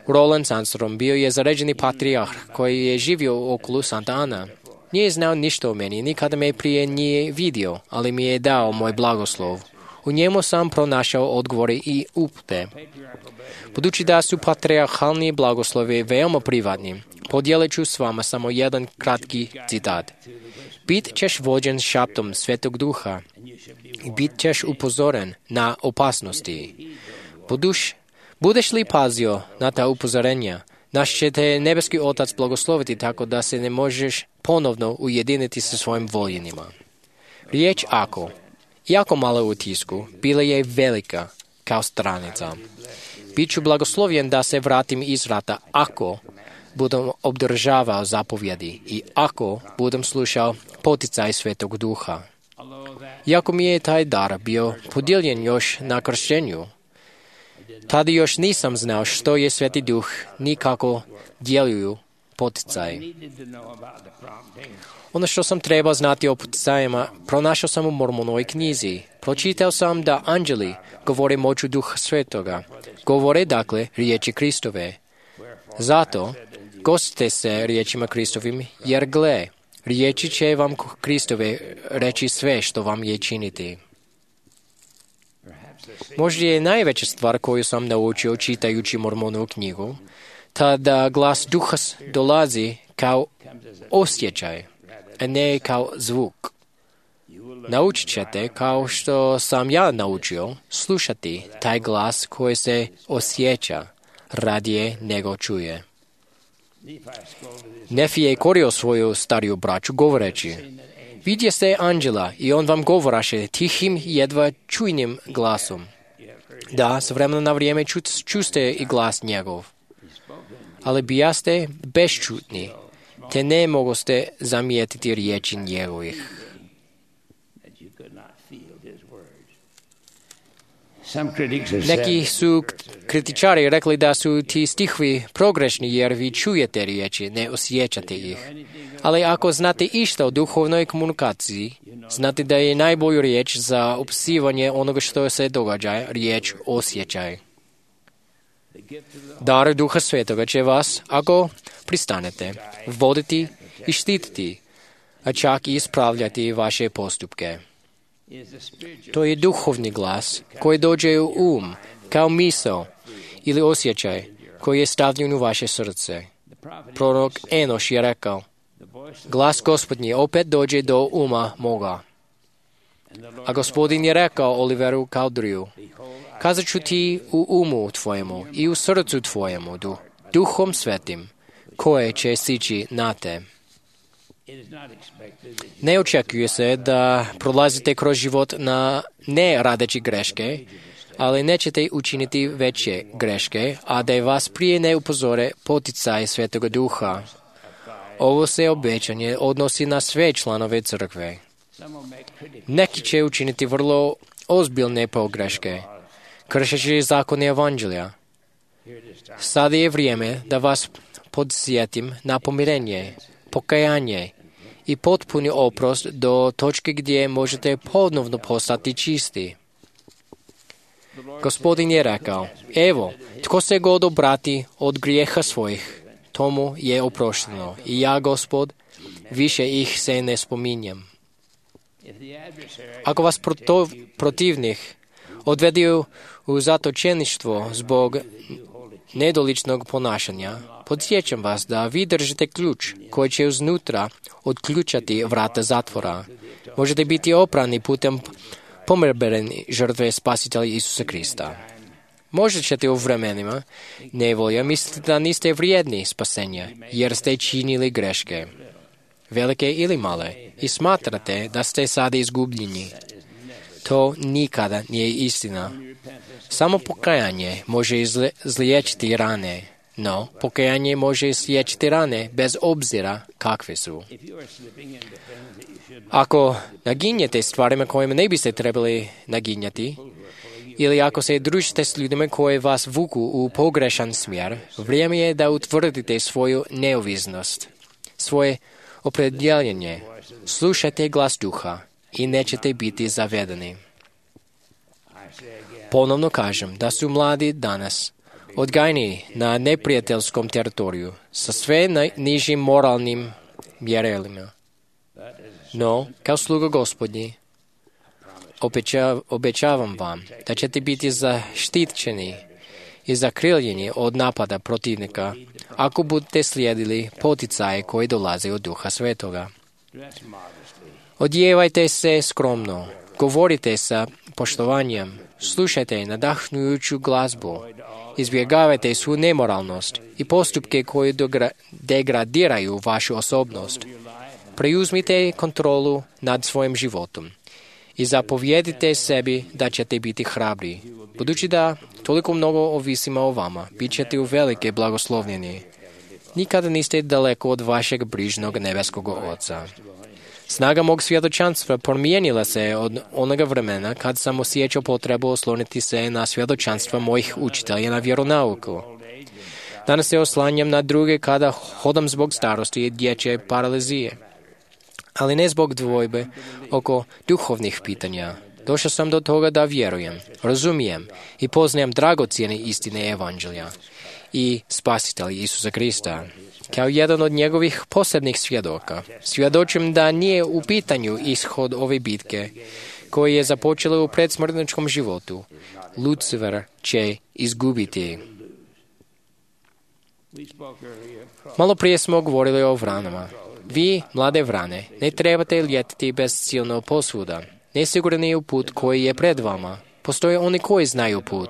Roland Sandstrom bio je zaređeni patrijarh koji je živio u okolu Santa Ana. Nije znao ništa o meni, nikada me prije nije vidio, ali mi je dao moj blagoslov. U njemu sam pronašao odgovore i upute. Budući da su patrijarhalni blagoslovi veoma privatni, podijelit ću s vama samo jedan kratki citat. Bit ćeš vođen šaptom Svetog Duha i bit ćeš upozoren na opasnosti. Buduš, budeš li pazio na ta upozorenja, naš će te nebeski Otac blagosloviti tako da se ne možeš ponovno ujediniti sa svojim voljenima. Riječ ako, iako malo u tisku, bila je velika kao stranica. Biću blagoslovljen da se vratim iz rata ako budem obdržavao zapovjedi i ako budem slušao poticaj Svetog Duha. Iako mi je taj dar bio podijeljen još na kršćenju, Tada još nisam znao što je Sveti Duh, ni kako djeluju poticaji. Ono što sam trebao znati o poticajima, pronašao sam u Mormonovoj knjizi. Pročitao sam da anđeli govore moću Duha Svetoga. Govore, dakle, riječi Kristove. Zato, gostite se riječima Kristovim, jer gle, riječi će vam Kristove reći sve što vam je činiti. Možda je najveća stvar koju sam naučio čitajući Mormonovu knjigu, ta da glas Duha dolazi kao osjećaj, a ne kao zvuk. Naučit ćete, kao što sam ja naučio, slušati taj glas koji se osjeća radije nego čuje. Nefi je korio svoju stariju braću govoreći, vidje ste anđela i on vam govoraše tihim jedva čujnim glasom. Da, s vremena na vrijeme ču, čuste i glas njegov. Ali bijaste beščutni, te ne mogoste zamijetiti riječi njegovih. Neki su kritičari rekli da su ti stihovi progrešni jer vi čujete riječi, ne osjećate ih. Ali ako znate išta o duhovnoj komunikaciji, znate da je najbolju riječ za opisivanje onoga što se događa riječ osjećaj. Dar Duha Svetoga će vas, ako pristanete, voditi i štititi, a čak i ispravljati vaše postupke. To je duhovni glas koji dođe u um, kao misao ili osjećaj koji je stavljen u vaše srce. Prorok Enoš je rekao, glas Gospodnji opet dođe do uma moga. A Gospodin je rekao Oliveru Cowdery, kazat ću ti u umu tvojemu i u srcu tvojemu, du, Duhom Svetim, koje će sići na te. Ne očekuje se da prolazite kroz život na ne radeći greške, ali nećete učiniti veće greške, a da je vas prije ne upozore poticaj Svetoga Duha. Ovo se obećanje odnosi na sve članove crkve. Neki će učiniti vrlo ozbiljne pogreške, kršeći zakone evanđelja. Sada je vrijeme da vas podsjetim na pomirenje, pokajanje i potpuni oprost do točke gdje možete ponovno postati čisti. Gospodin je rekao, evo, tko se god obrati od grijeha svojih, tomu je oprošteno. I ja, Gospod, više ih se ne spominjem. Ako vas protivnih odvedu u zatočeništvo zbog nedoličnog ponašanja, podsjećam vas da vi držite ključ koji će uznutra otključati vrata zatvora. Možete biti oprani putem pomirberene žrtve Spasitelja Isusa Krista. Možda ćete u vremenima nevolja misliti da niste vrijedni spasenja, jer ste činili greške, velike ili male, i smatrate da ste sada izgubljeni. To nikada nije istina. Samo pokajanje može izliječiti rane, no pokajanje može izliječiti rane bez obzira kakve su. Ako naginjete stvarima kojima ne biste trebali naginjati, ili ako se družite s ljudima koji vas vuku u pogrešan smjer, vrijeme je da utvrdite svoju neovisnost, svoje opredjeljenje. Slušajte glas Duha i nećete biti zavedeni. Ponovno kažem da su mladi danas odgajani na neprijateljskom teritoriju sa sve nižim moralnim mjerilima. No, kao sluga Gospodnji, obećavam vam da ćete biti zaštićeni i zakriljeni od napada protivnika ako budete slijedili poticaje koji dolaze od Duha Svetoga. Odjevajte se skromno, govorite sa poštovanjem, slušajte nadahnujuću glazbu, izbjegavajte svu nemoralnost i postupke koji degradiraju vašu osobnost. Preuzmite kontrolu nad svojim životom i zapovjedite sebi da ćete biti hrabri. Budući da toliko mnogo ovisimo o vama, bit ćete u velike blagoslovljeni. Nikada niste daleko od vašeg brižnog nebeskog Oca. Snaga mog svjedočanstva promijenila se od onoga vremena kad sam osjećao potrebu osloniti se na svjedočanstva mojih učitelja na vjeronauku. Danas se oslanjam na druge kada hodam zbog starosti i dječje paralizije, ali ne zbog dvojbe oko duhovnih pitanja. Došao sam do toga da vjerujem, razumijem i poznajem dragocjene istine Evanđelja i Spasitelja Isusa Krista. Kao jedan od njegovih posebnih svjedoka, svjedočim da nije u pitanju ishod ove bitke koji je započela u predsmrtničkom životu. Lucifer će izgubiti. Malo prije smo govorili o vranama. Vi, mlade vrane, ne trebate ljetiti bezciljno posvuda. Nesigurni je put koji je pred vama. Postoje oni koji znaju put.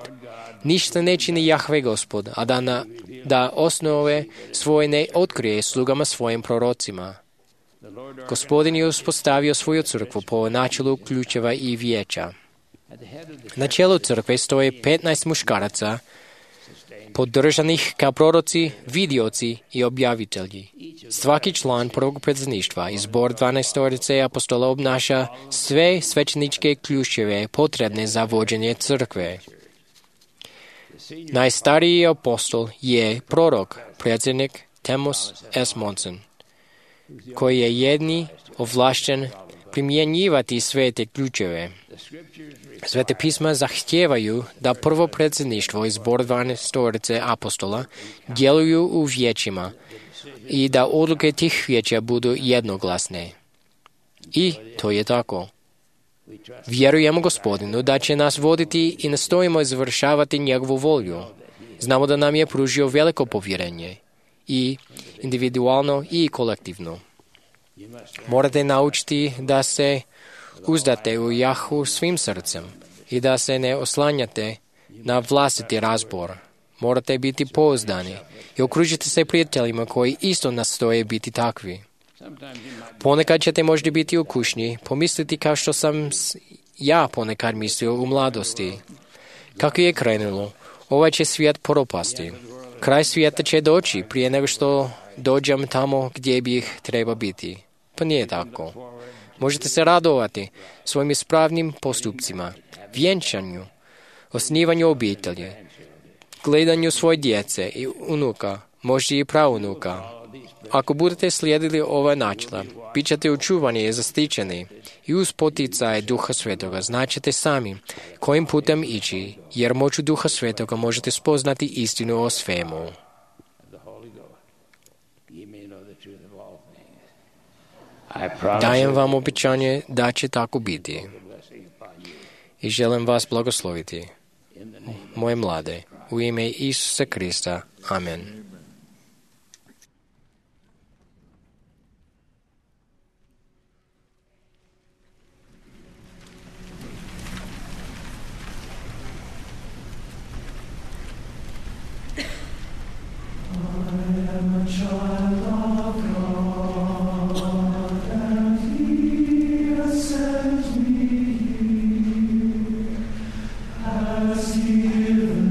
Ništa ne čini Jahve Gospod, a da, na, da osnove svoje ne otkrije slugama svojim prorocima. Gospodin je uspostavio svoju crkvu po načelu ključeva i vijeća. Na čelu crkve stoje petnaest muškaraca, podržanih kao proroci, vidioci i objavitelji. Svaki član prvog predsjedništva i zbor dvanaestorice apostola obnaša sve svećeničke ključeve potrebne za vođenje crkve. Najstariji apostol je prorok, predsjednik Thomas S. Monson, koji je jedini ovlašten primjenjivati sve te ključeve. Svete pisma zahtijevaju da prvo predsjedništvo i zbor dvanaestorice apostola djeluju u vijećima i da odluke tih vijeća budu jednoglasne. I to je tako. Vjerujemo Gospodinu da će nas voditi i nastojimo izvršavati njegovu volju. Znamo da nam je pružio veliko povjerenje, i individualno i kolektivno. Morate naučiti da se uzdate u Jahu svim srcem i da se ne oslanjate na vlastiti razbor. Morate biti pouzdani i okružite se prijateljima koji isto nastoje biti takvi. Ponekad ćete možda biti u kušnji, pomisliti kao što sam ja ponekad mislio u mladosti. Kako je krenulo, ovaj će svijet propasti. Kraj svijeta će doći prije nego što dođem tamo gdje bih treba biti. Pa nije tako. Možete se radovati svojim ispravnim postupcima, vjenčanju, osnivanju obitelji, gledanju svoje djece i unuka, možda i praunuka. Ako budete slijedili ova načela, bit ćete učuvani i zaštićeni i uz poticaj Duha Svetoga značite sami kojim putem ići, jer moću Duha Svetoga možete spoznati istinu o svemu. Dajem vam obećanje da će tako biti i želim vas blagosloviti, moje mlade, u ime Isusa Krista. Amen. Has given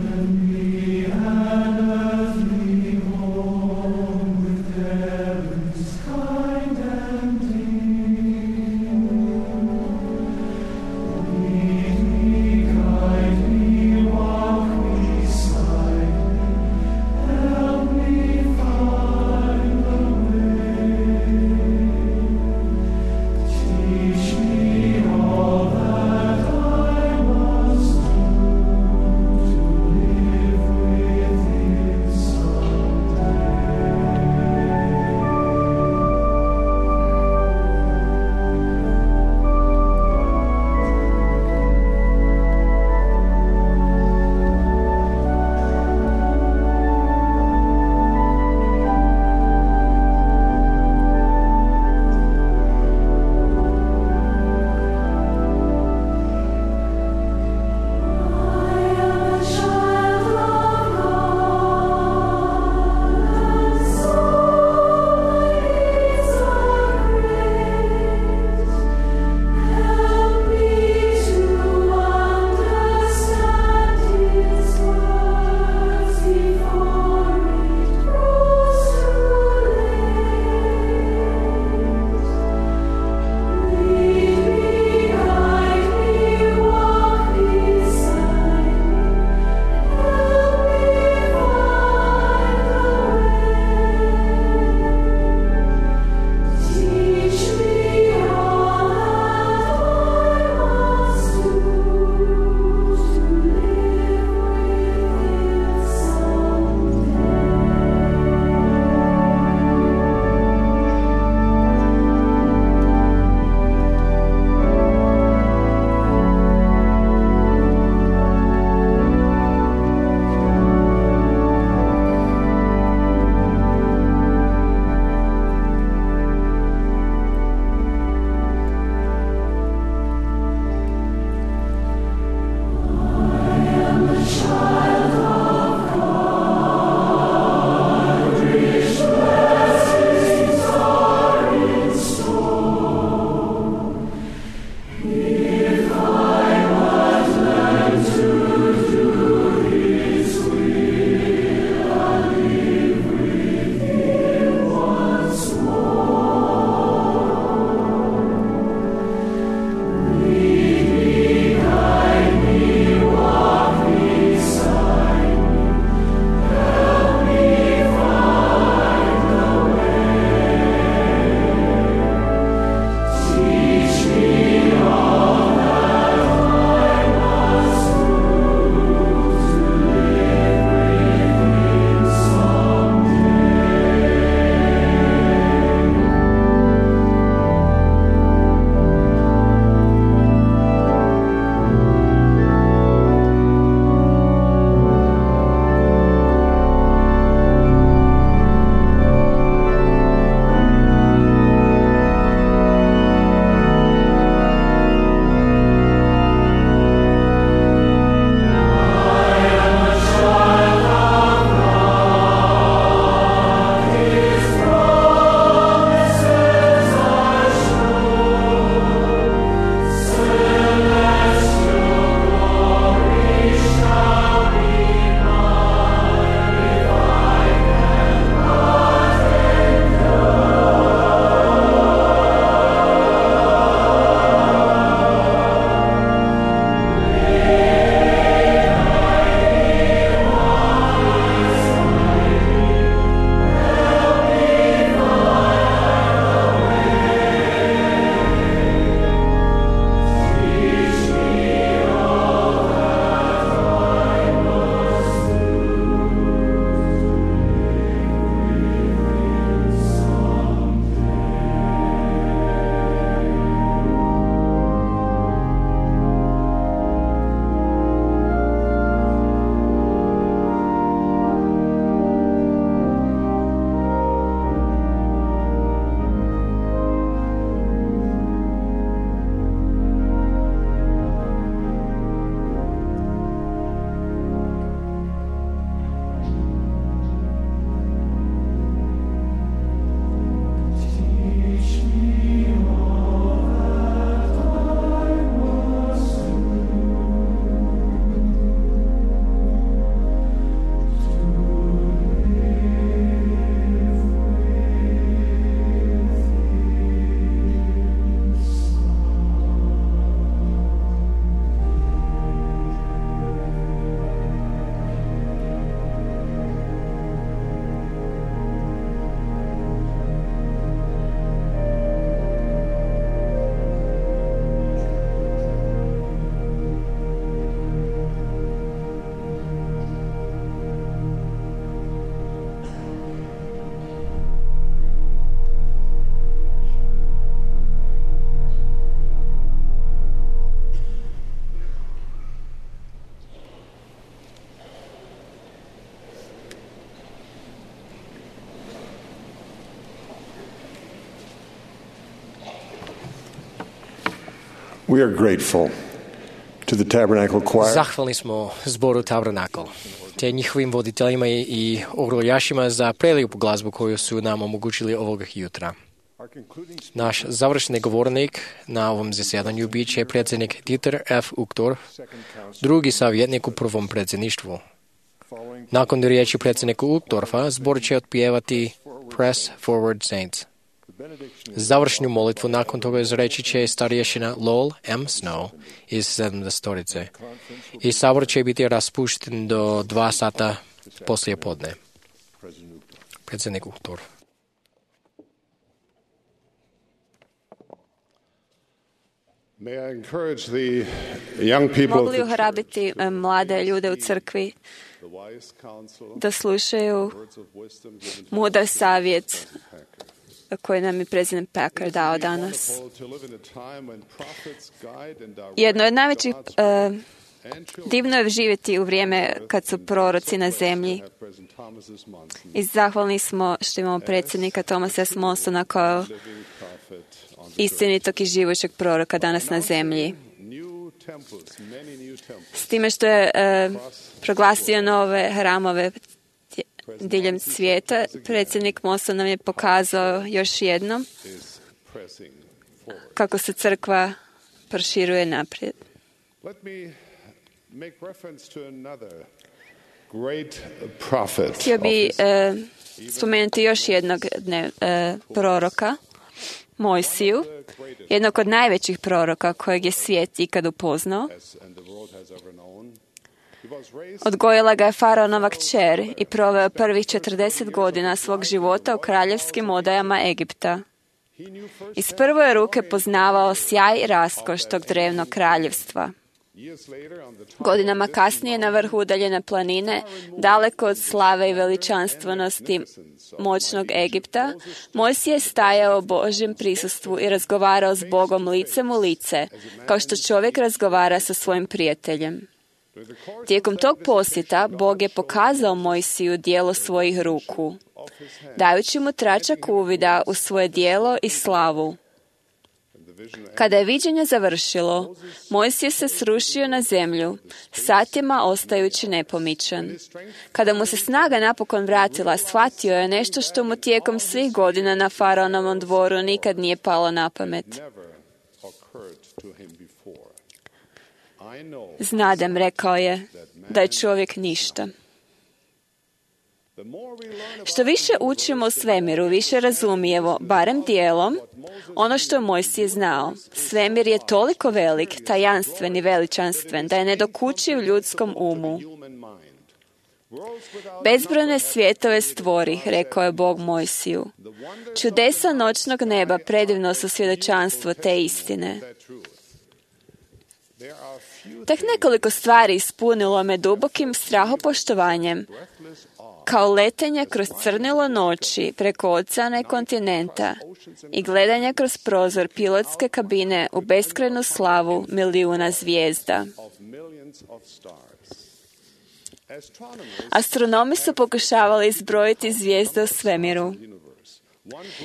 me an earthly We are grateful to the Tabernacle Choir. Zahvalni smo zboru Tabernakl, te njihovim voditeljima i oroljašima za prelijepu glazbu koju su nam omogućili ovog jutra. Naš završni govornik na ovom zasjedanju bit će predsjednik Dieter F. Uchtdorf, drugi savjetnik u prvom predsjedništvu. Nakon riječi predsjednika Uchtdorfa, zbor će otpjevati Press Forward Saints. Završnu molitvu nakon toga izreći će starješina Lowell M. Snow iz sedamdesetorice. I sabor će biti raspušten do dva sata poslije podne. Predsjednik Uchtdorf. Mogu li ohrabriti mlade ljude u crkvi da slušaju mudar savjet koji nam je predsjednik Packer dao danas? Jedno od najvećih uh, divno je živjeti u vrijeme kad su proroci na zemlji. I zahvalni smo što imamo predsjednika Thomasa S. Monsona kao istinitog i živućeg proroka danas na zemlji. S time što je uh, proglasio nove hramove diljem svijeta, predsjednik Monson nam je pokazao još jednom kako se crkva proširuje naprijed. Htio bi uh, spomenuti još jednog dne, uh, proroka, Mojsiju, jednog od najvećih proroka kojeg je svijet ikad upoznao. Odgojila ga je faraonova kćer i proveo prvih četrdeset godina svog života u kraljevskim odajama Egipta. Iz prve ruke poznavao sjaj i raskoš tog drevnog kraljevstva. Godinama kasnije na vrhu udaljene planine, daleko od slave i veličanstvenosti moćnog Egipta, Mojsije je stajao u Božjem prisustvu i razgovarao s Bogom licem u lice, kao što čovjek razgovara sa svojim prijateljem. Tijekom tog posjeta Bog je pokazao Mojsiju djelo svojih ruku, dajući mu tračak uvida u svoje djelo i slavu. Kada je viđenje završilo, Mojsije se srušio na zemlju, satima ostajući nepomičan. Kada mu se snaga napokon vratila, shvatio je nešto što mu tijekom svih godina na faraonovom dvoru nikad nije palo na pamet. Znadem, rekao je, da je čovjek ništa. Što više učimo o svemiru, više razumijemo, barem dijelom, ono što je Mojsije znao. Svemir je toliko velik, tajanstven i veličanstven, da je nedokučiv ljudskom umu. Bezbrojne svjetove stvori, rekao je Bog Mojsiju. Čudesa noćnog neba predivno su svjedočanstvo te istine. Tek nekoliko stvari ispunilo me dubokim strahopoštovanjem, kao letenje kroz crnilo noći preko oceana i kontinenta i gledanje kroz prozor pilotske kabine u beskrajnu slavu milijuna zvijezda. Astronomi su pokušavali izbrojiti zvijezde u svemiru.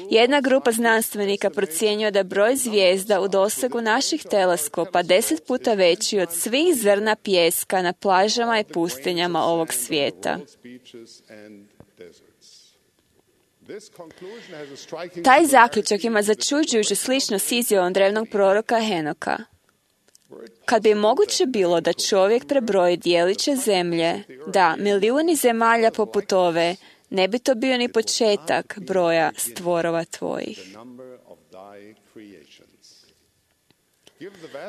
Jedna grupa znanstvenika procjenjuje da je broj zvijezda u dosegu naših teleskopa deset puta veći od svih zrna pijeska na plažama i pustinjama ovog svijeta. Taj zaključak ima začuđujuću sličnost s izjavom drevnog proroka Henoka. Kad bi moguće bilo da čovjek prebroji dijeliće zemlje, da milijuni zemalja poput ove, ne bi to bio ni početak broja stvorova tvojih.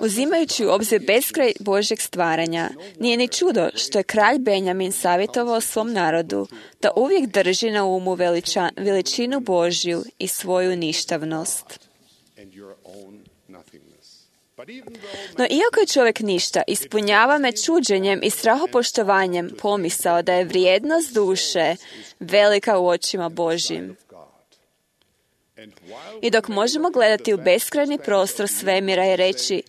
Uzimajući u obzir beskraj Božjeg stvaranja, nije ni čudo što je kralj Benjamin savjetovao svom narodu da uvijek drži na umu veliča, veličinu Božju i svoju ništavnost. No iako je čovjek ništa, ispunjava me čuđenjem i strahopoštovanjem pomisao da je vrijednost duše velika u očima Božjim. I dok možemo gledati u beskrajni prostor svemira i reći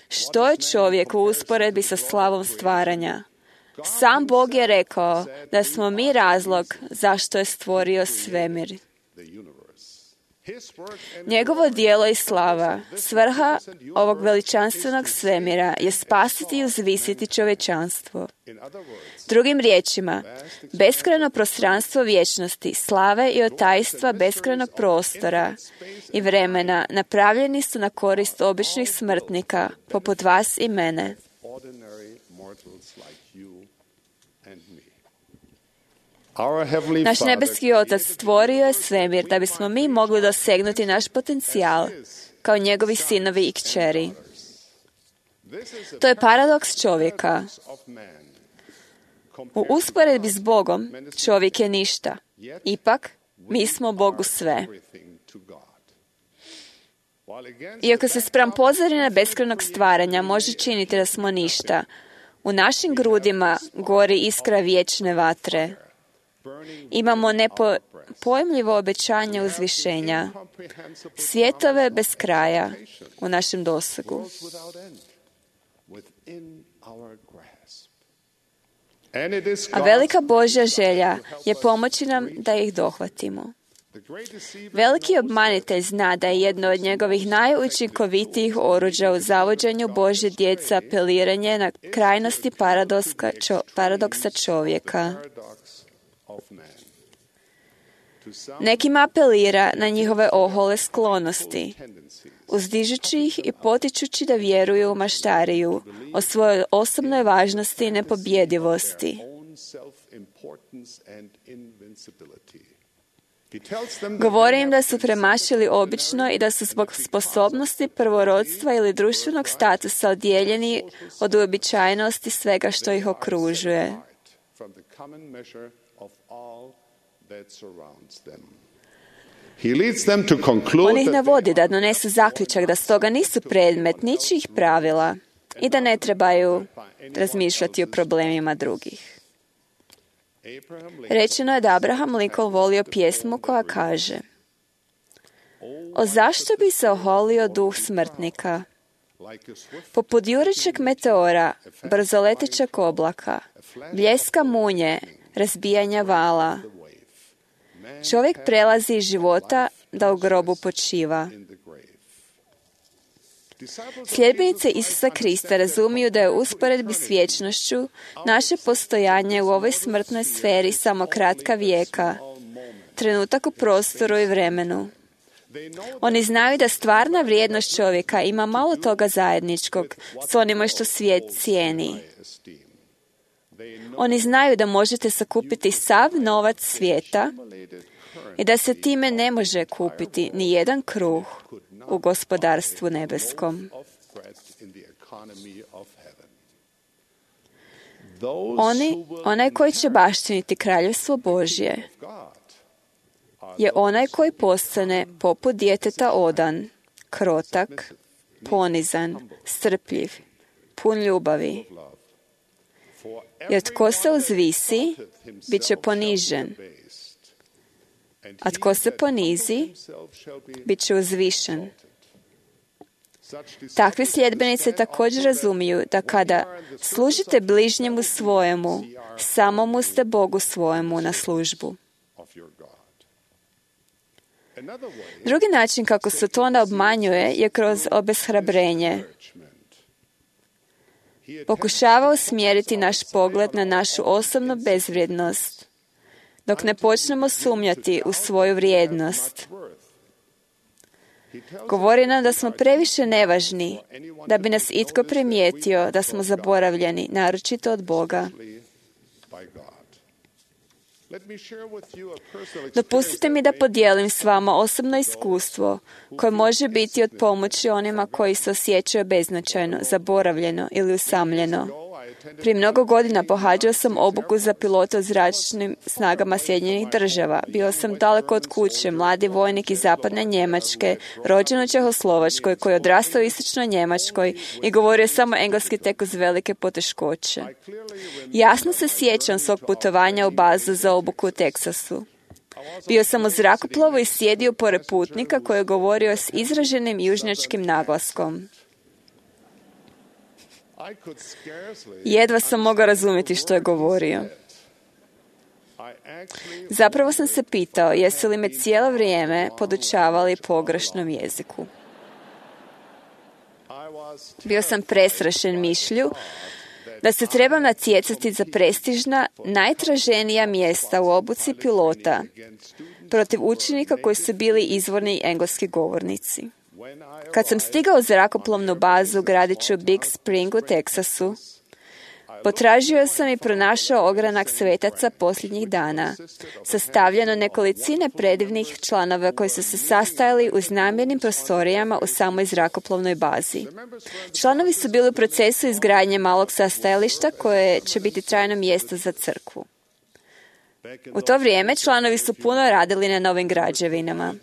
što je čovjek u usporedbi sa slavom stvaranja, sam Bog je rekao da smo mi razlog zašto je stvorio svemir. Njegovo dijelo i slava, svrha ovog veličanstvenog svemira je spasiti i uzvisiti čovječanstvo. Drugim riječima, beskrajno prostranstvo vječnosti, slave i otajstva beskrajnog prostora i vremena napravljeni su na korist običnih smrtnika, poput vas i mene. Naš nebeski Otac stvorio je svemir da bismo mi mogli dosegnuti naš potencijal kao njegovi sinovi i kćeri. To je paradoks čovjeka. U usporedbi s Bogom čovjek je ništa. Ipak, mi smo Bogu sve. Iako se spram pozorine beskrajnog stvaranja može činiti da smo ništa, u našim grudima gori iskra vječne vatre. Imamo nepojmljivo obećanje uzvišenja, svjetove bez kraja u našem dosegu. A velika Božja želja je pomoći nam da ih dohvatimo. Veliki obmanitelj zna da je jedno od njegovih najučinkovitijih oruđa u zavođenju Božje djece apeliranje na krajnosti paradoksa čovjeka. Nekima apelira na njihove ohole sklonosti, uzdižući ih i potičući da vjeruju u maštariju, o svojoj osobnoj važnosti i nepobjedivosti. Govori im da su premašili obično i da su zbog sposobnosti prvorodstva ili društvenog statusa odijeljeni od uobičajenosti svega što ih okružuje. On ih navodi da donesu zaključak da stoga nisu predmet ničijih pravila i da ne trebaju razmišljati o problemima drugih. Rečeno je da Abraham Lincoln volio pjesmu koja kaže: O zašto bi se oholio duh smrtnika? Poput jurećeg meteora, brzoletećeg oblaka, bljeska munje, razbijanja vala. Čovjek prelazi iz života da u grobu počiva. Sljedbenice Isusa Krista razumiju da je u usporedbi s vječnošću naše postojanje u ovoj smrtnoj sferi samo kratka vijeka, trenutak u prostoru i vremenu. Oni znaju da stvarna vrijednost čovjeka ima malo toga zajedničkog s onima što svijet cijeni. Oni znaju da možete sakupiti sav novac svijeta i da se time ne može kupiti ni jedan kruh u gospodarstvu nebeskom. Oni, onaj koji će baštiniti kraljevstvo Božje, je onaj koji postane poput djeteta odan, krotak, ponizan, strpljiv, pun ljubavi. Jer tko se uzvisi, bit će ponižen, a tko se ponizi, bit će uzvišen. Takvi sljedbenici također razumiju da kada služite bližnjemu svojemu, samomu ste Bogu svojemu na službu. Drugi način kako se to onda obmanjuje je kroz obeshrabrenje. Pokušava usmjeriti naš pogled na našu osobnu bezvrijednost, dok ne počnemo sumnjati u svoju vrijednost. Govori nam da smo previše nevažni, da bi nas itko primijetio da smo zaboravljeni, naročito od Boga. Dopustite mi da podijelim s vama osobno iskustvo koje može biti od pomoći onima koji se osjećaju beznačajno, zaboravljeno ili usamljeno. Prije mnogo godina pohađao sam obuku za pilota u zračnim snagama Sjedinjenih država. Bio sam daleko od kuće, mladi vojnik iz zapadne Njemačke, rođen u Čehoslovačkoj, koji je odrastao u istočnoj Njemačkoj i govorio samo engleski tek uz velike poteškoće. Jasno se sjećam svog putovanja u bazu za obuku u Teksasu. Bio sam u zrakoplovu i sjedio pored putnika koji je govorio s izraženim južnjačkim naglaskom. Jedva sam mogao razumjeti što je govorio. Zapravo sam se pitao, jesu li me cijelo vrijeme podučavali pogrešnom jeziku. Bio sam presrašen mišlju da se trebam natjecati za prestižna, najtraženija mjesta u obuci pilota protiv učenika koji su bili izvorni engleski govornici. Kad sam stigao u zrakoplovnu bazu u gradiću Big Spring u Teksasu, potražio sam i pronašao ogranak svetaca posljednjih dana, sastavljeno nekolicine predivnih članova koji su se sastajali u znamenim prostorijama u samoj zrakoplovnoj bazi. Članovi su bili u procesu izgradnje malog sastajališta koje će biti trajno mjesto za crkvu. U to vrijeme članovi su puno radili na novim građevinama.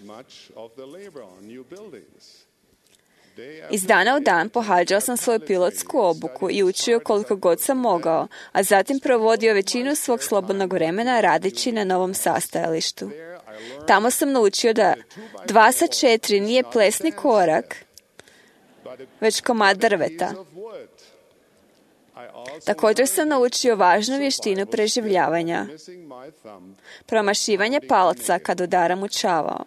Iz dana u dan pohađao sam svoju pilotsku obuku i učio koliko god sam mogao, a zatim provodio većinu svog slobodnog vremena radeći na novom sastajalištu. Tamo sam naučio da dva sa četiri nije plesni korak, već komad drveta. Također sam naučio važnu vještinu preživljavanja, promašivanje palca kad udaram u čavao.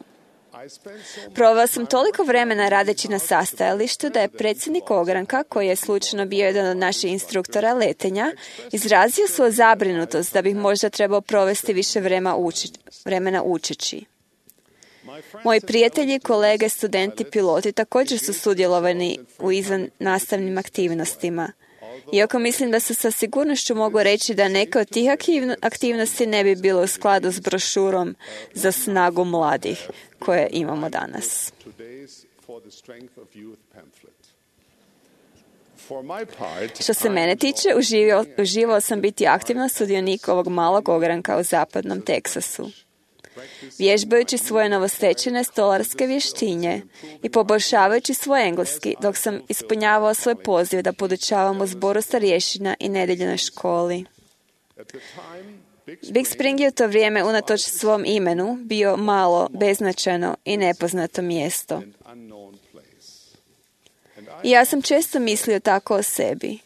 Proveo sam toliko vremena radeći na sastajalištu da je predsjednik ogranka, koji je slučajno bio jedan od naših instruktora letenja, izrazio svoju zabrinutost da bih možda trebao provesti više vremena, uči, vremena učeći. Moji prijatelji, kolege, studenti, piloti također su sudjelovani u izvan nastavnim aktivnostima. Iako mislim da se sa sigurnošću mogu reći da neke od tih aktivnosti ne bi bilo u skladu s brošurom za snagu mladih koje imamo danas. Što se mene tiče, uživao, uživao sam biti aktivno sudionik ovog malog ogranka u zapadnom Teksasu. Vježbajući svoje novostečene stolarske vještinje i poboljšavajući svoj engleski, dok sam ispunjavao svoj poziv da podučavam u zboru starješina i nedeljnoj školi. Big Spring je u to vrijeme, unatoč svom imenu, bio malo, beznačajno i nepoznato mjesto. I ja sam često mislio tako o sebi.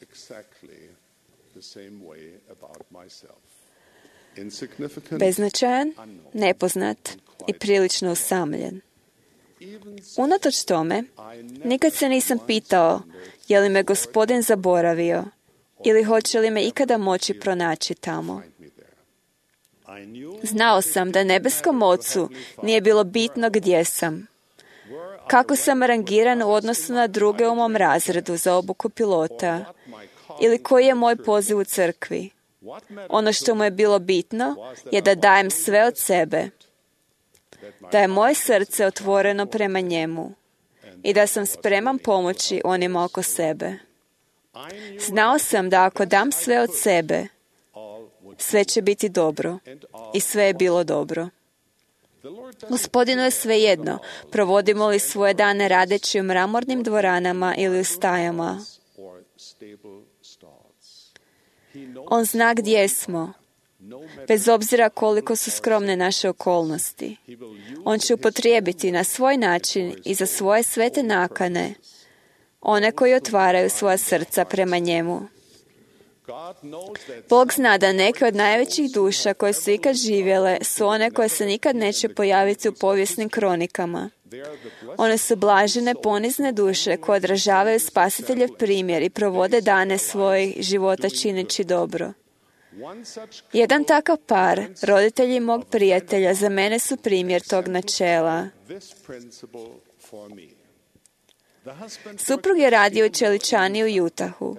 Beznačajan, nepoznat i prilično usamljen. Unatoč tome, nikad se nisam pitao je li me Gospodin zaboravio ili hoće li me ikada moći pronaći tamo. Znao sam da nebeskom Ocu nije bilo bitno gdje sam, kako sam rangiran u odnosu na druge u mom razredu za obuku pilota ili koji je moj poziv u crkvi. Ono što mu je bilo bitno je da dajem sve od sebe, da je moje srce otvoreno prema njemu i da sam spreman pomoći onima oko sebe. Znao sam da ako dam sve od sebe, sve će biti dobro i sve je bilo dobro. Gospodinu je svejedno, provodimo li svoje dane radeći u mramornim dvoranama ili u stajama. On zna gdje smo, bez obzira koliko su skromne naše okolnosti. On će upotrijebiti na svoj način i za svoje svete nakane one koji otvaraju svoja srca prema njemu. Bog zna da neke od najvećih duša koje su ikad živjele su one koje se nikad neće pojaviti u povijesnim kronikama. One su blažene, ponizne duše koje odražavaju Spasiteljev primjer i provode dane svojih života čineći dobro. Jedan takav par, roditelji mog prijatelja, za mene su primjer tog načela. Suprug je radio u čeličani u Utahu.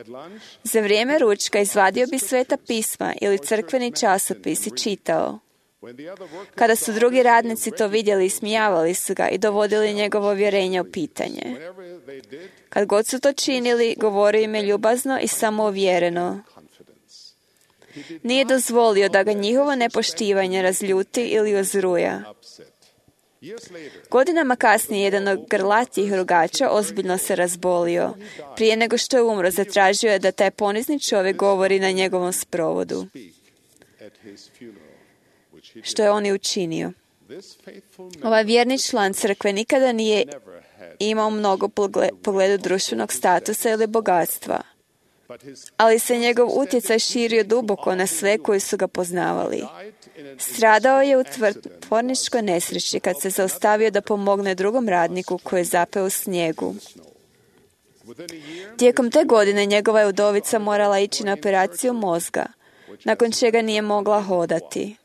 Za vrijeme ručka izvadio bi sveta pisma ili crkveni časopis i čitao. Kada su drugi radnici to vidjeli, ismijavali su ga i dovodili njegovo vjerenje u pitanje. Kad god su to činili, govorio im je ljubazno i samouvjereno. Nije dozvolio da ga njihovo nepoštivanje razljuti ili uzruja. Godinama kasnije jedan od grlatijih rogača ozbiljno se razbolio. Prije nego što je umro, zatražio je da taj ponizni čovjek govori na njegovom sprovodu, što je on i učinio. Ovaj vjerni član crkve nikada nije imao mnogo pogledu društvenog statusa ili bogatstva. ali se njegov utjecaj širio duboko na sve koji su ga poznavali. Stradao je u tvorničkoj nesreći kad se zaustavio da pomogne drugom radniku koji je zapeo u snijegu. Tijekom te godine njegova je udovica morala ići na operaciju mozga, nakon čega nije mogla hodati.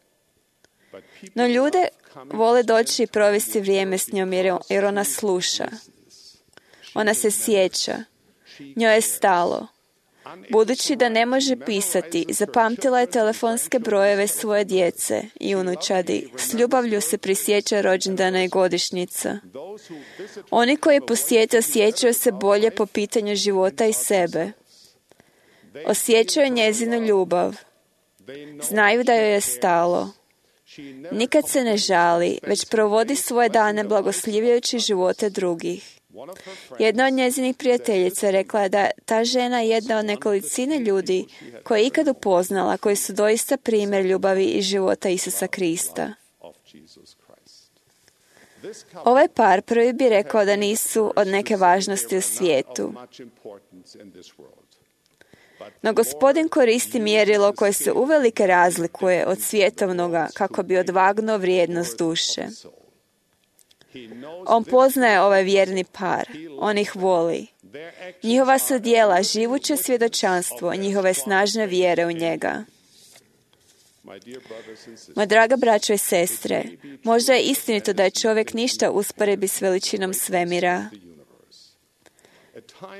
No ljude vole doći i provesti vrijeme s njom jer ona sluša. Ona se sjeća. Njoj je stalo. Budući da ne može pisati, zapamtila je telefonske brojeve svoje djece i unučadi. S ljubavlju se prisjeća rođendana i godišnjica. Oni koji posjete osjećaju se bolje po pitanju života i sebe. Osjećaju njezinu ljubav. Znaju da joj je stalo. Nikad se ne žali, već provodi svoje dane blagoslivljajući živote drugih. Jedna od njezinih prijateljica rekla je da ta žena je jedna od nekolicine ljudi koje je ikad upoznala, koji su doista primjer ljubavi i života Isusa Krista. Ovaj par prvi bi rekao da nisu od neke važnosti u svijetu. No Gospodin koristi mjerilo koje se uvelike razlikuje od svjetovnoga kako bi odvagnuo vrijednost duše. On poznaje ovaj vjerni par. On ih voli. Njihova su djela živuće svjedočanstvo njihove snažne vjere u njega. Moja draga braćo i sestre, možda je istinito da je čovjek ništa usporedbi s veličinom svemira.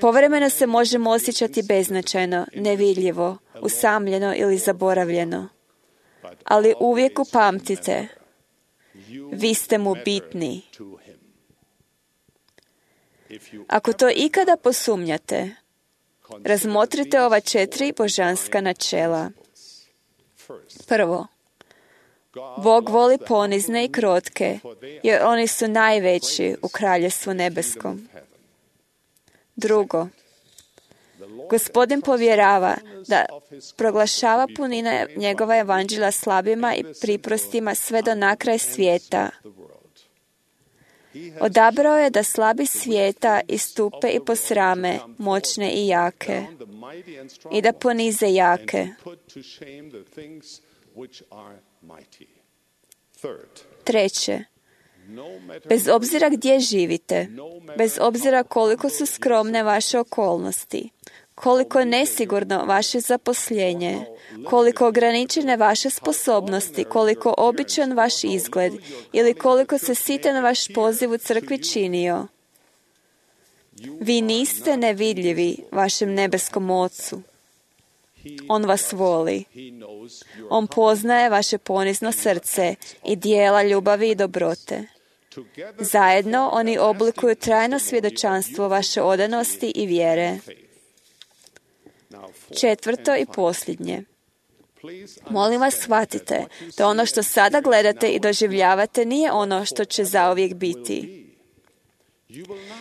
Povremeno se možemo osjećati beznačajno, nevidljivo, usamljeno ili zaboravljeno. Ali uvijek upamtite, vi ste mu bitni. Ako to ikada posumnjate, razmotrite ova četiri božanska načela. Prvo, Bog voli ponizne i krotke, jer oni su najveći u kraljevstvu nebeskom. Drugo, Gospodin povjerava da proglašava punina njegova evanđelja slabima i priprostima sve do nakraj svijeta. Odabrao je da slabi svijeta istupe i posrame moćne i jake i da ponize jake. Treće, bez obzira gdje živite, bez obzira koliko su skromne vaše okolnosti, koliko je nesigurno vaše zaposlenje, koliko ograničene vaše sposobnosti, koliko običan vaš izgled ili koliko se sitan vaš poziv u crkvi činio, vi niste nevidljivi vašem nebeskom Ocu. On vas voli. On poznaje vaše ponizno srce i dijela ljubavi i dobrote. Zajedno oni oblikuju trajno svjedočanstvo vaše odanosti i vjere. Četvrto i posljednje. Molim vas, shvatite da ono što sada gledate i doživljavate nije ono što će zauvijek biti.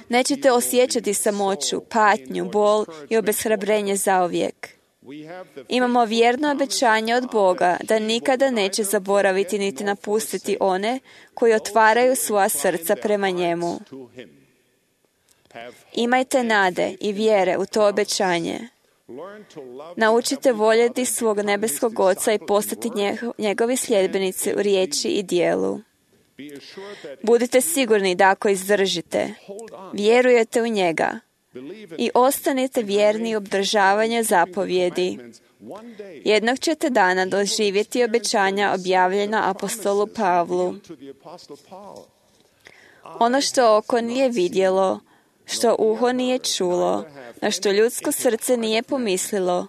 Nećete osjećati samoću, patnju, bol i obeshrabrenje zauvijek. Imamo vjerno obećanje od Boga da nikada neće zaboraviti niti napustiti one koji otvaraju svoja srca prema njemu. Imajte nade i vjere u to obećanje. Naučite voljeti svog nebeskog Oca i postati njegovi sljedbenici u riječi i djelu. Budite sigurni da ako izdržite, vjerujete u njega i ostanite vjerni u obdržavanju zapovjedi, jednog ćete dana doživjeti obećanja objavljena apostolu Pavlu. Ono što oko nije vidjelo, što uho nije čulo, na što ljudsko srce nije pomislilo,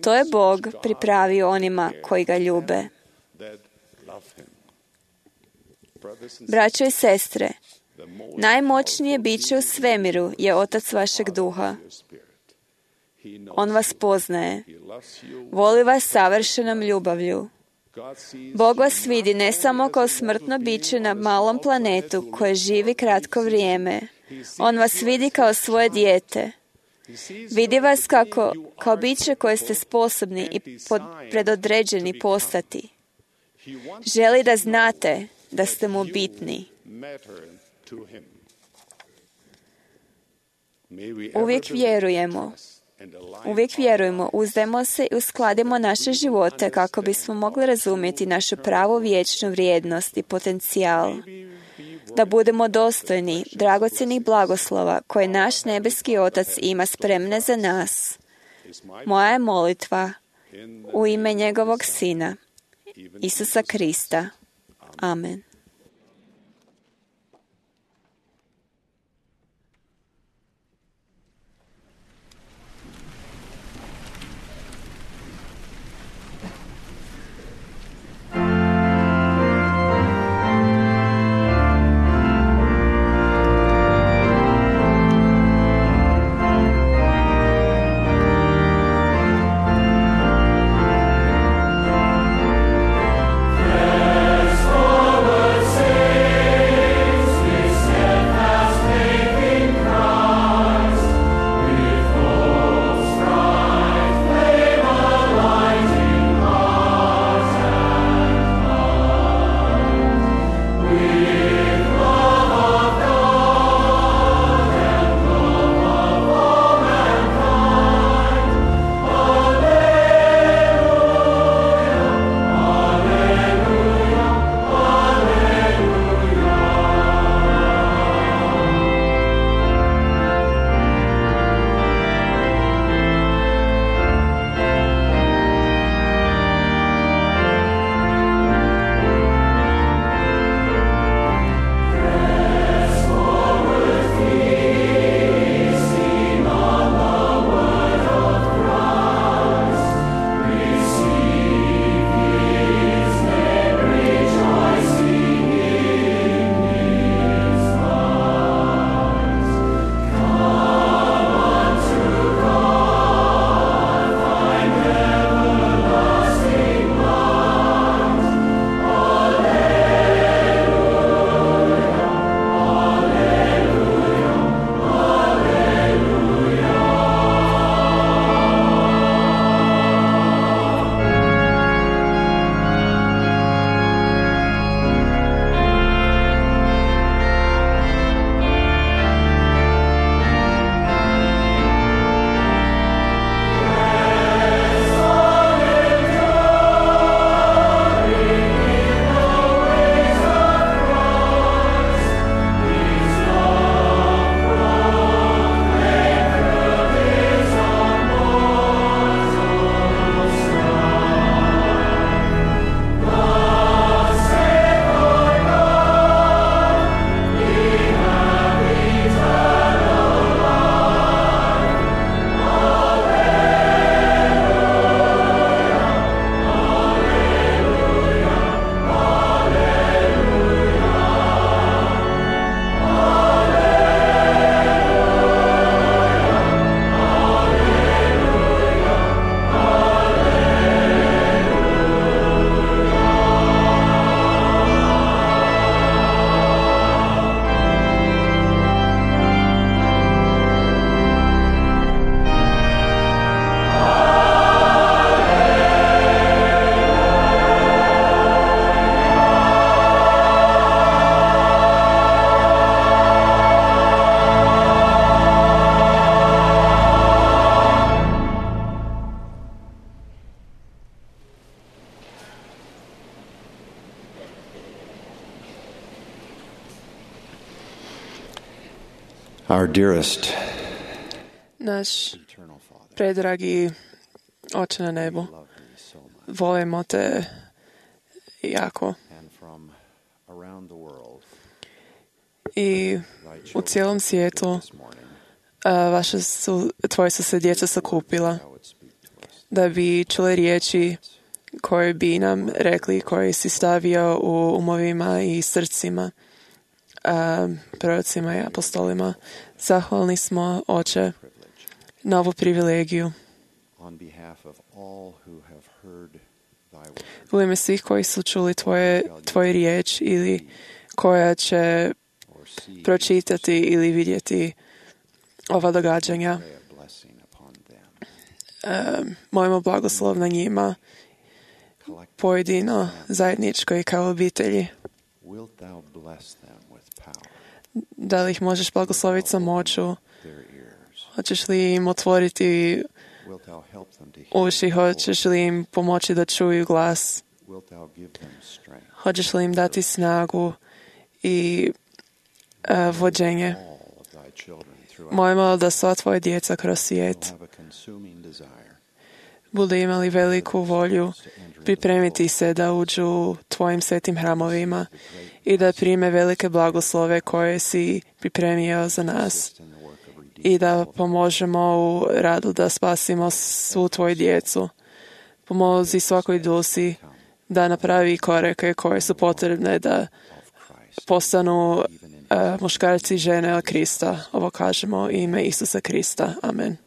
to je Bog pripravio onima koji ga ljube. Braćo i sestre, najmoćnije biće u svemiru je Otac vašeg duha. On vas poznaje. Voli vas savršenom ljubavlju. Bog vas vidi ne samo kao smrtno biće na malom planetu koje živi kratko vrijeme. On vas vidi kao svoje dijete. Vidi vas kako, kao biće koje ste sposobni i pod, predodređeni postati. Želi da znate da ste mu bitni. Uvijek vjerujemo Uvijek vjerujemo, uzdajmo se i uskladimo naše živote kako bismo mogli razumjeti našu pravu vječnu vrijednost i potencijal. Da budemo dostojni dragocjenih blagoslova koje naš nebeski Otac ima spremne za nas. Moja je molitva u ime njegovog Sina, Isusa Krista. Amen. Our dearest, naš predragi Oče na nebu, volimo te jako. I u cijelom svijetu vaše su, tvoje su se djeca sakupila da bi čule riječi koje bi nam rekli, koje si stavio u umovima i srcima prorocima i apostolima. Zahvalni smo, Oče, na ovu privilegiju. U ime svih koji su čuli tvoje, tvoje riječ ili koja će pročitati ili vidjeti ova događanja. Um, molimo blagoslov na njima, pojedino, zajedničko i kao obitelji. Da li ih možeš blagosloviti sa moću Hoćeš li im otvoriti uši? Hoćeš li im pomoći da čuju glas? Hoćeš li im dati snagu i uh, vođenje? Molimo da sva tvoja djeca kroz svijet budu imali veliku volju pripremiti se da uđu u tvojim svetim hramovima i da prime velike blagoslove koje si pripremio za nas i da pomožemo u radu da spasimo svu tvoju djecu. Pomozi svakoj duši da napravi korake koje su potrebne da postanu uh, muškarci i žene od Krista. Ovo kažemo u ime Isusa Krista. Amen.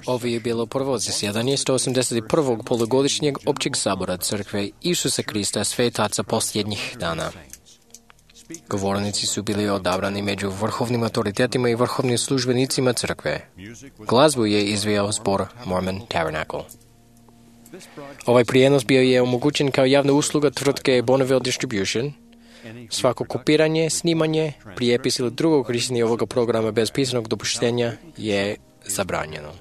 Ovo je bilo prvo zasjedanje sto osamdeset prvog polugodišnjeg općeg sabora Crkve Isusa Krista svetaca posljednjih dana. Govornici su bili odabrani među vrhovnim autoritetima i vrhovnim službenicima Crkve. Glazbu je izvijao zbor Mormon Tabernacle. Ovaj prijenos bio je omogućen kao javna usluga tvrtke Bonneville Distribution. Svako kopiranje, snimanje, prijepis ili drugo korištenje ovoga programa bez pisanog dopuštenja je zabranjeno.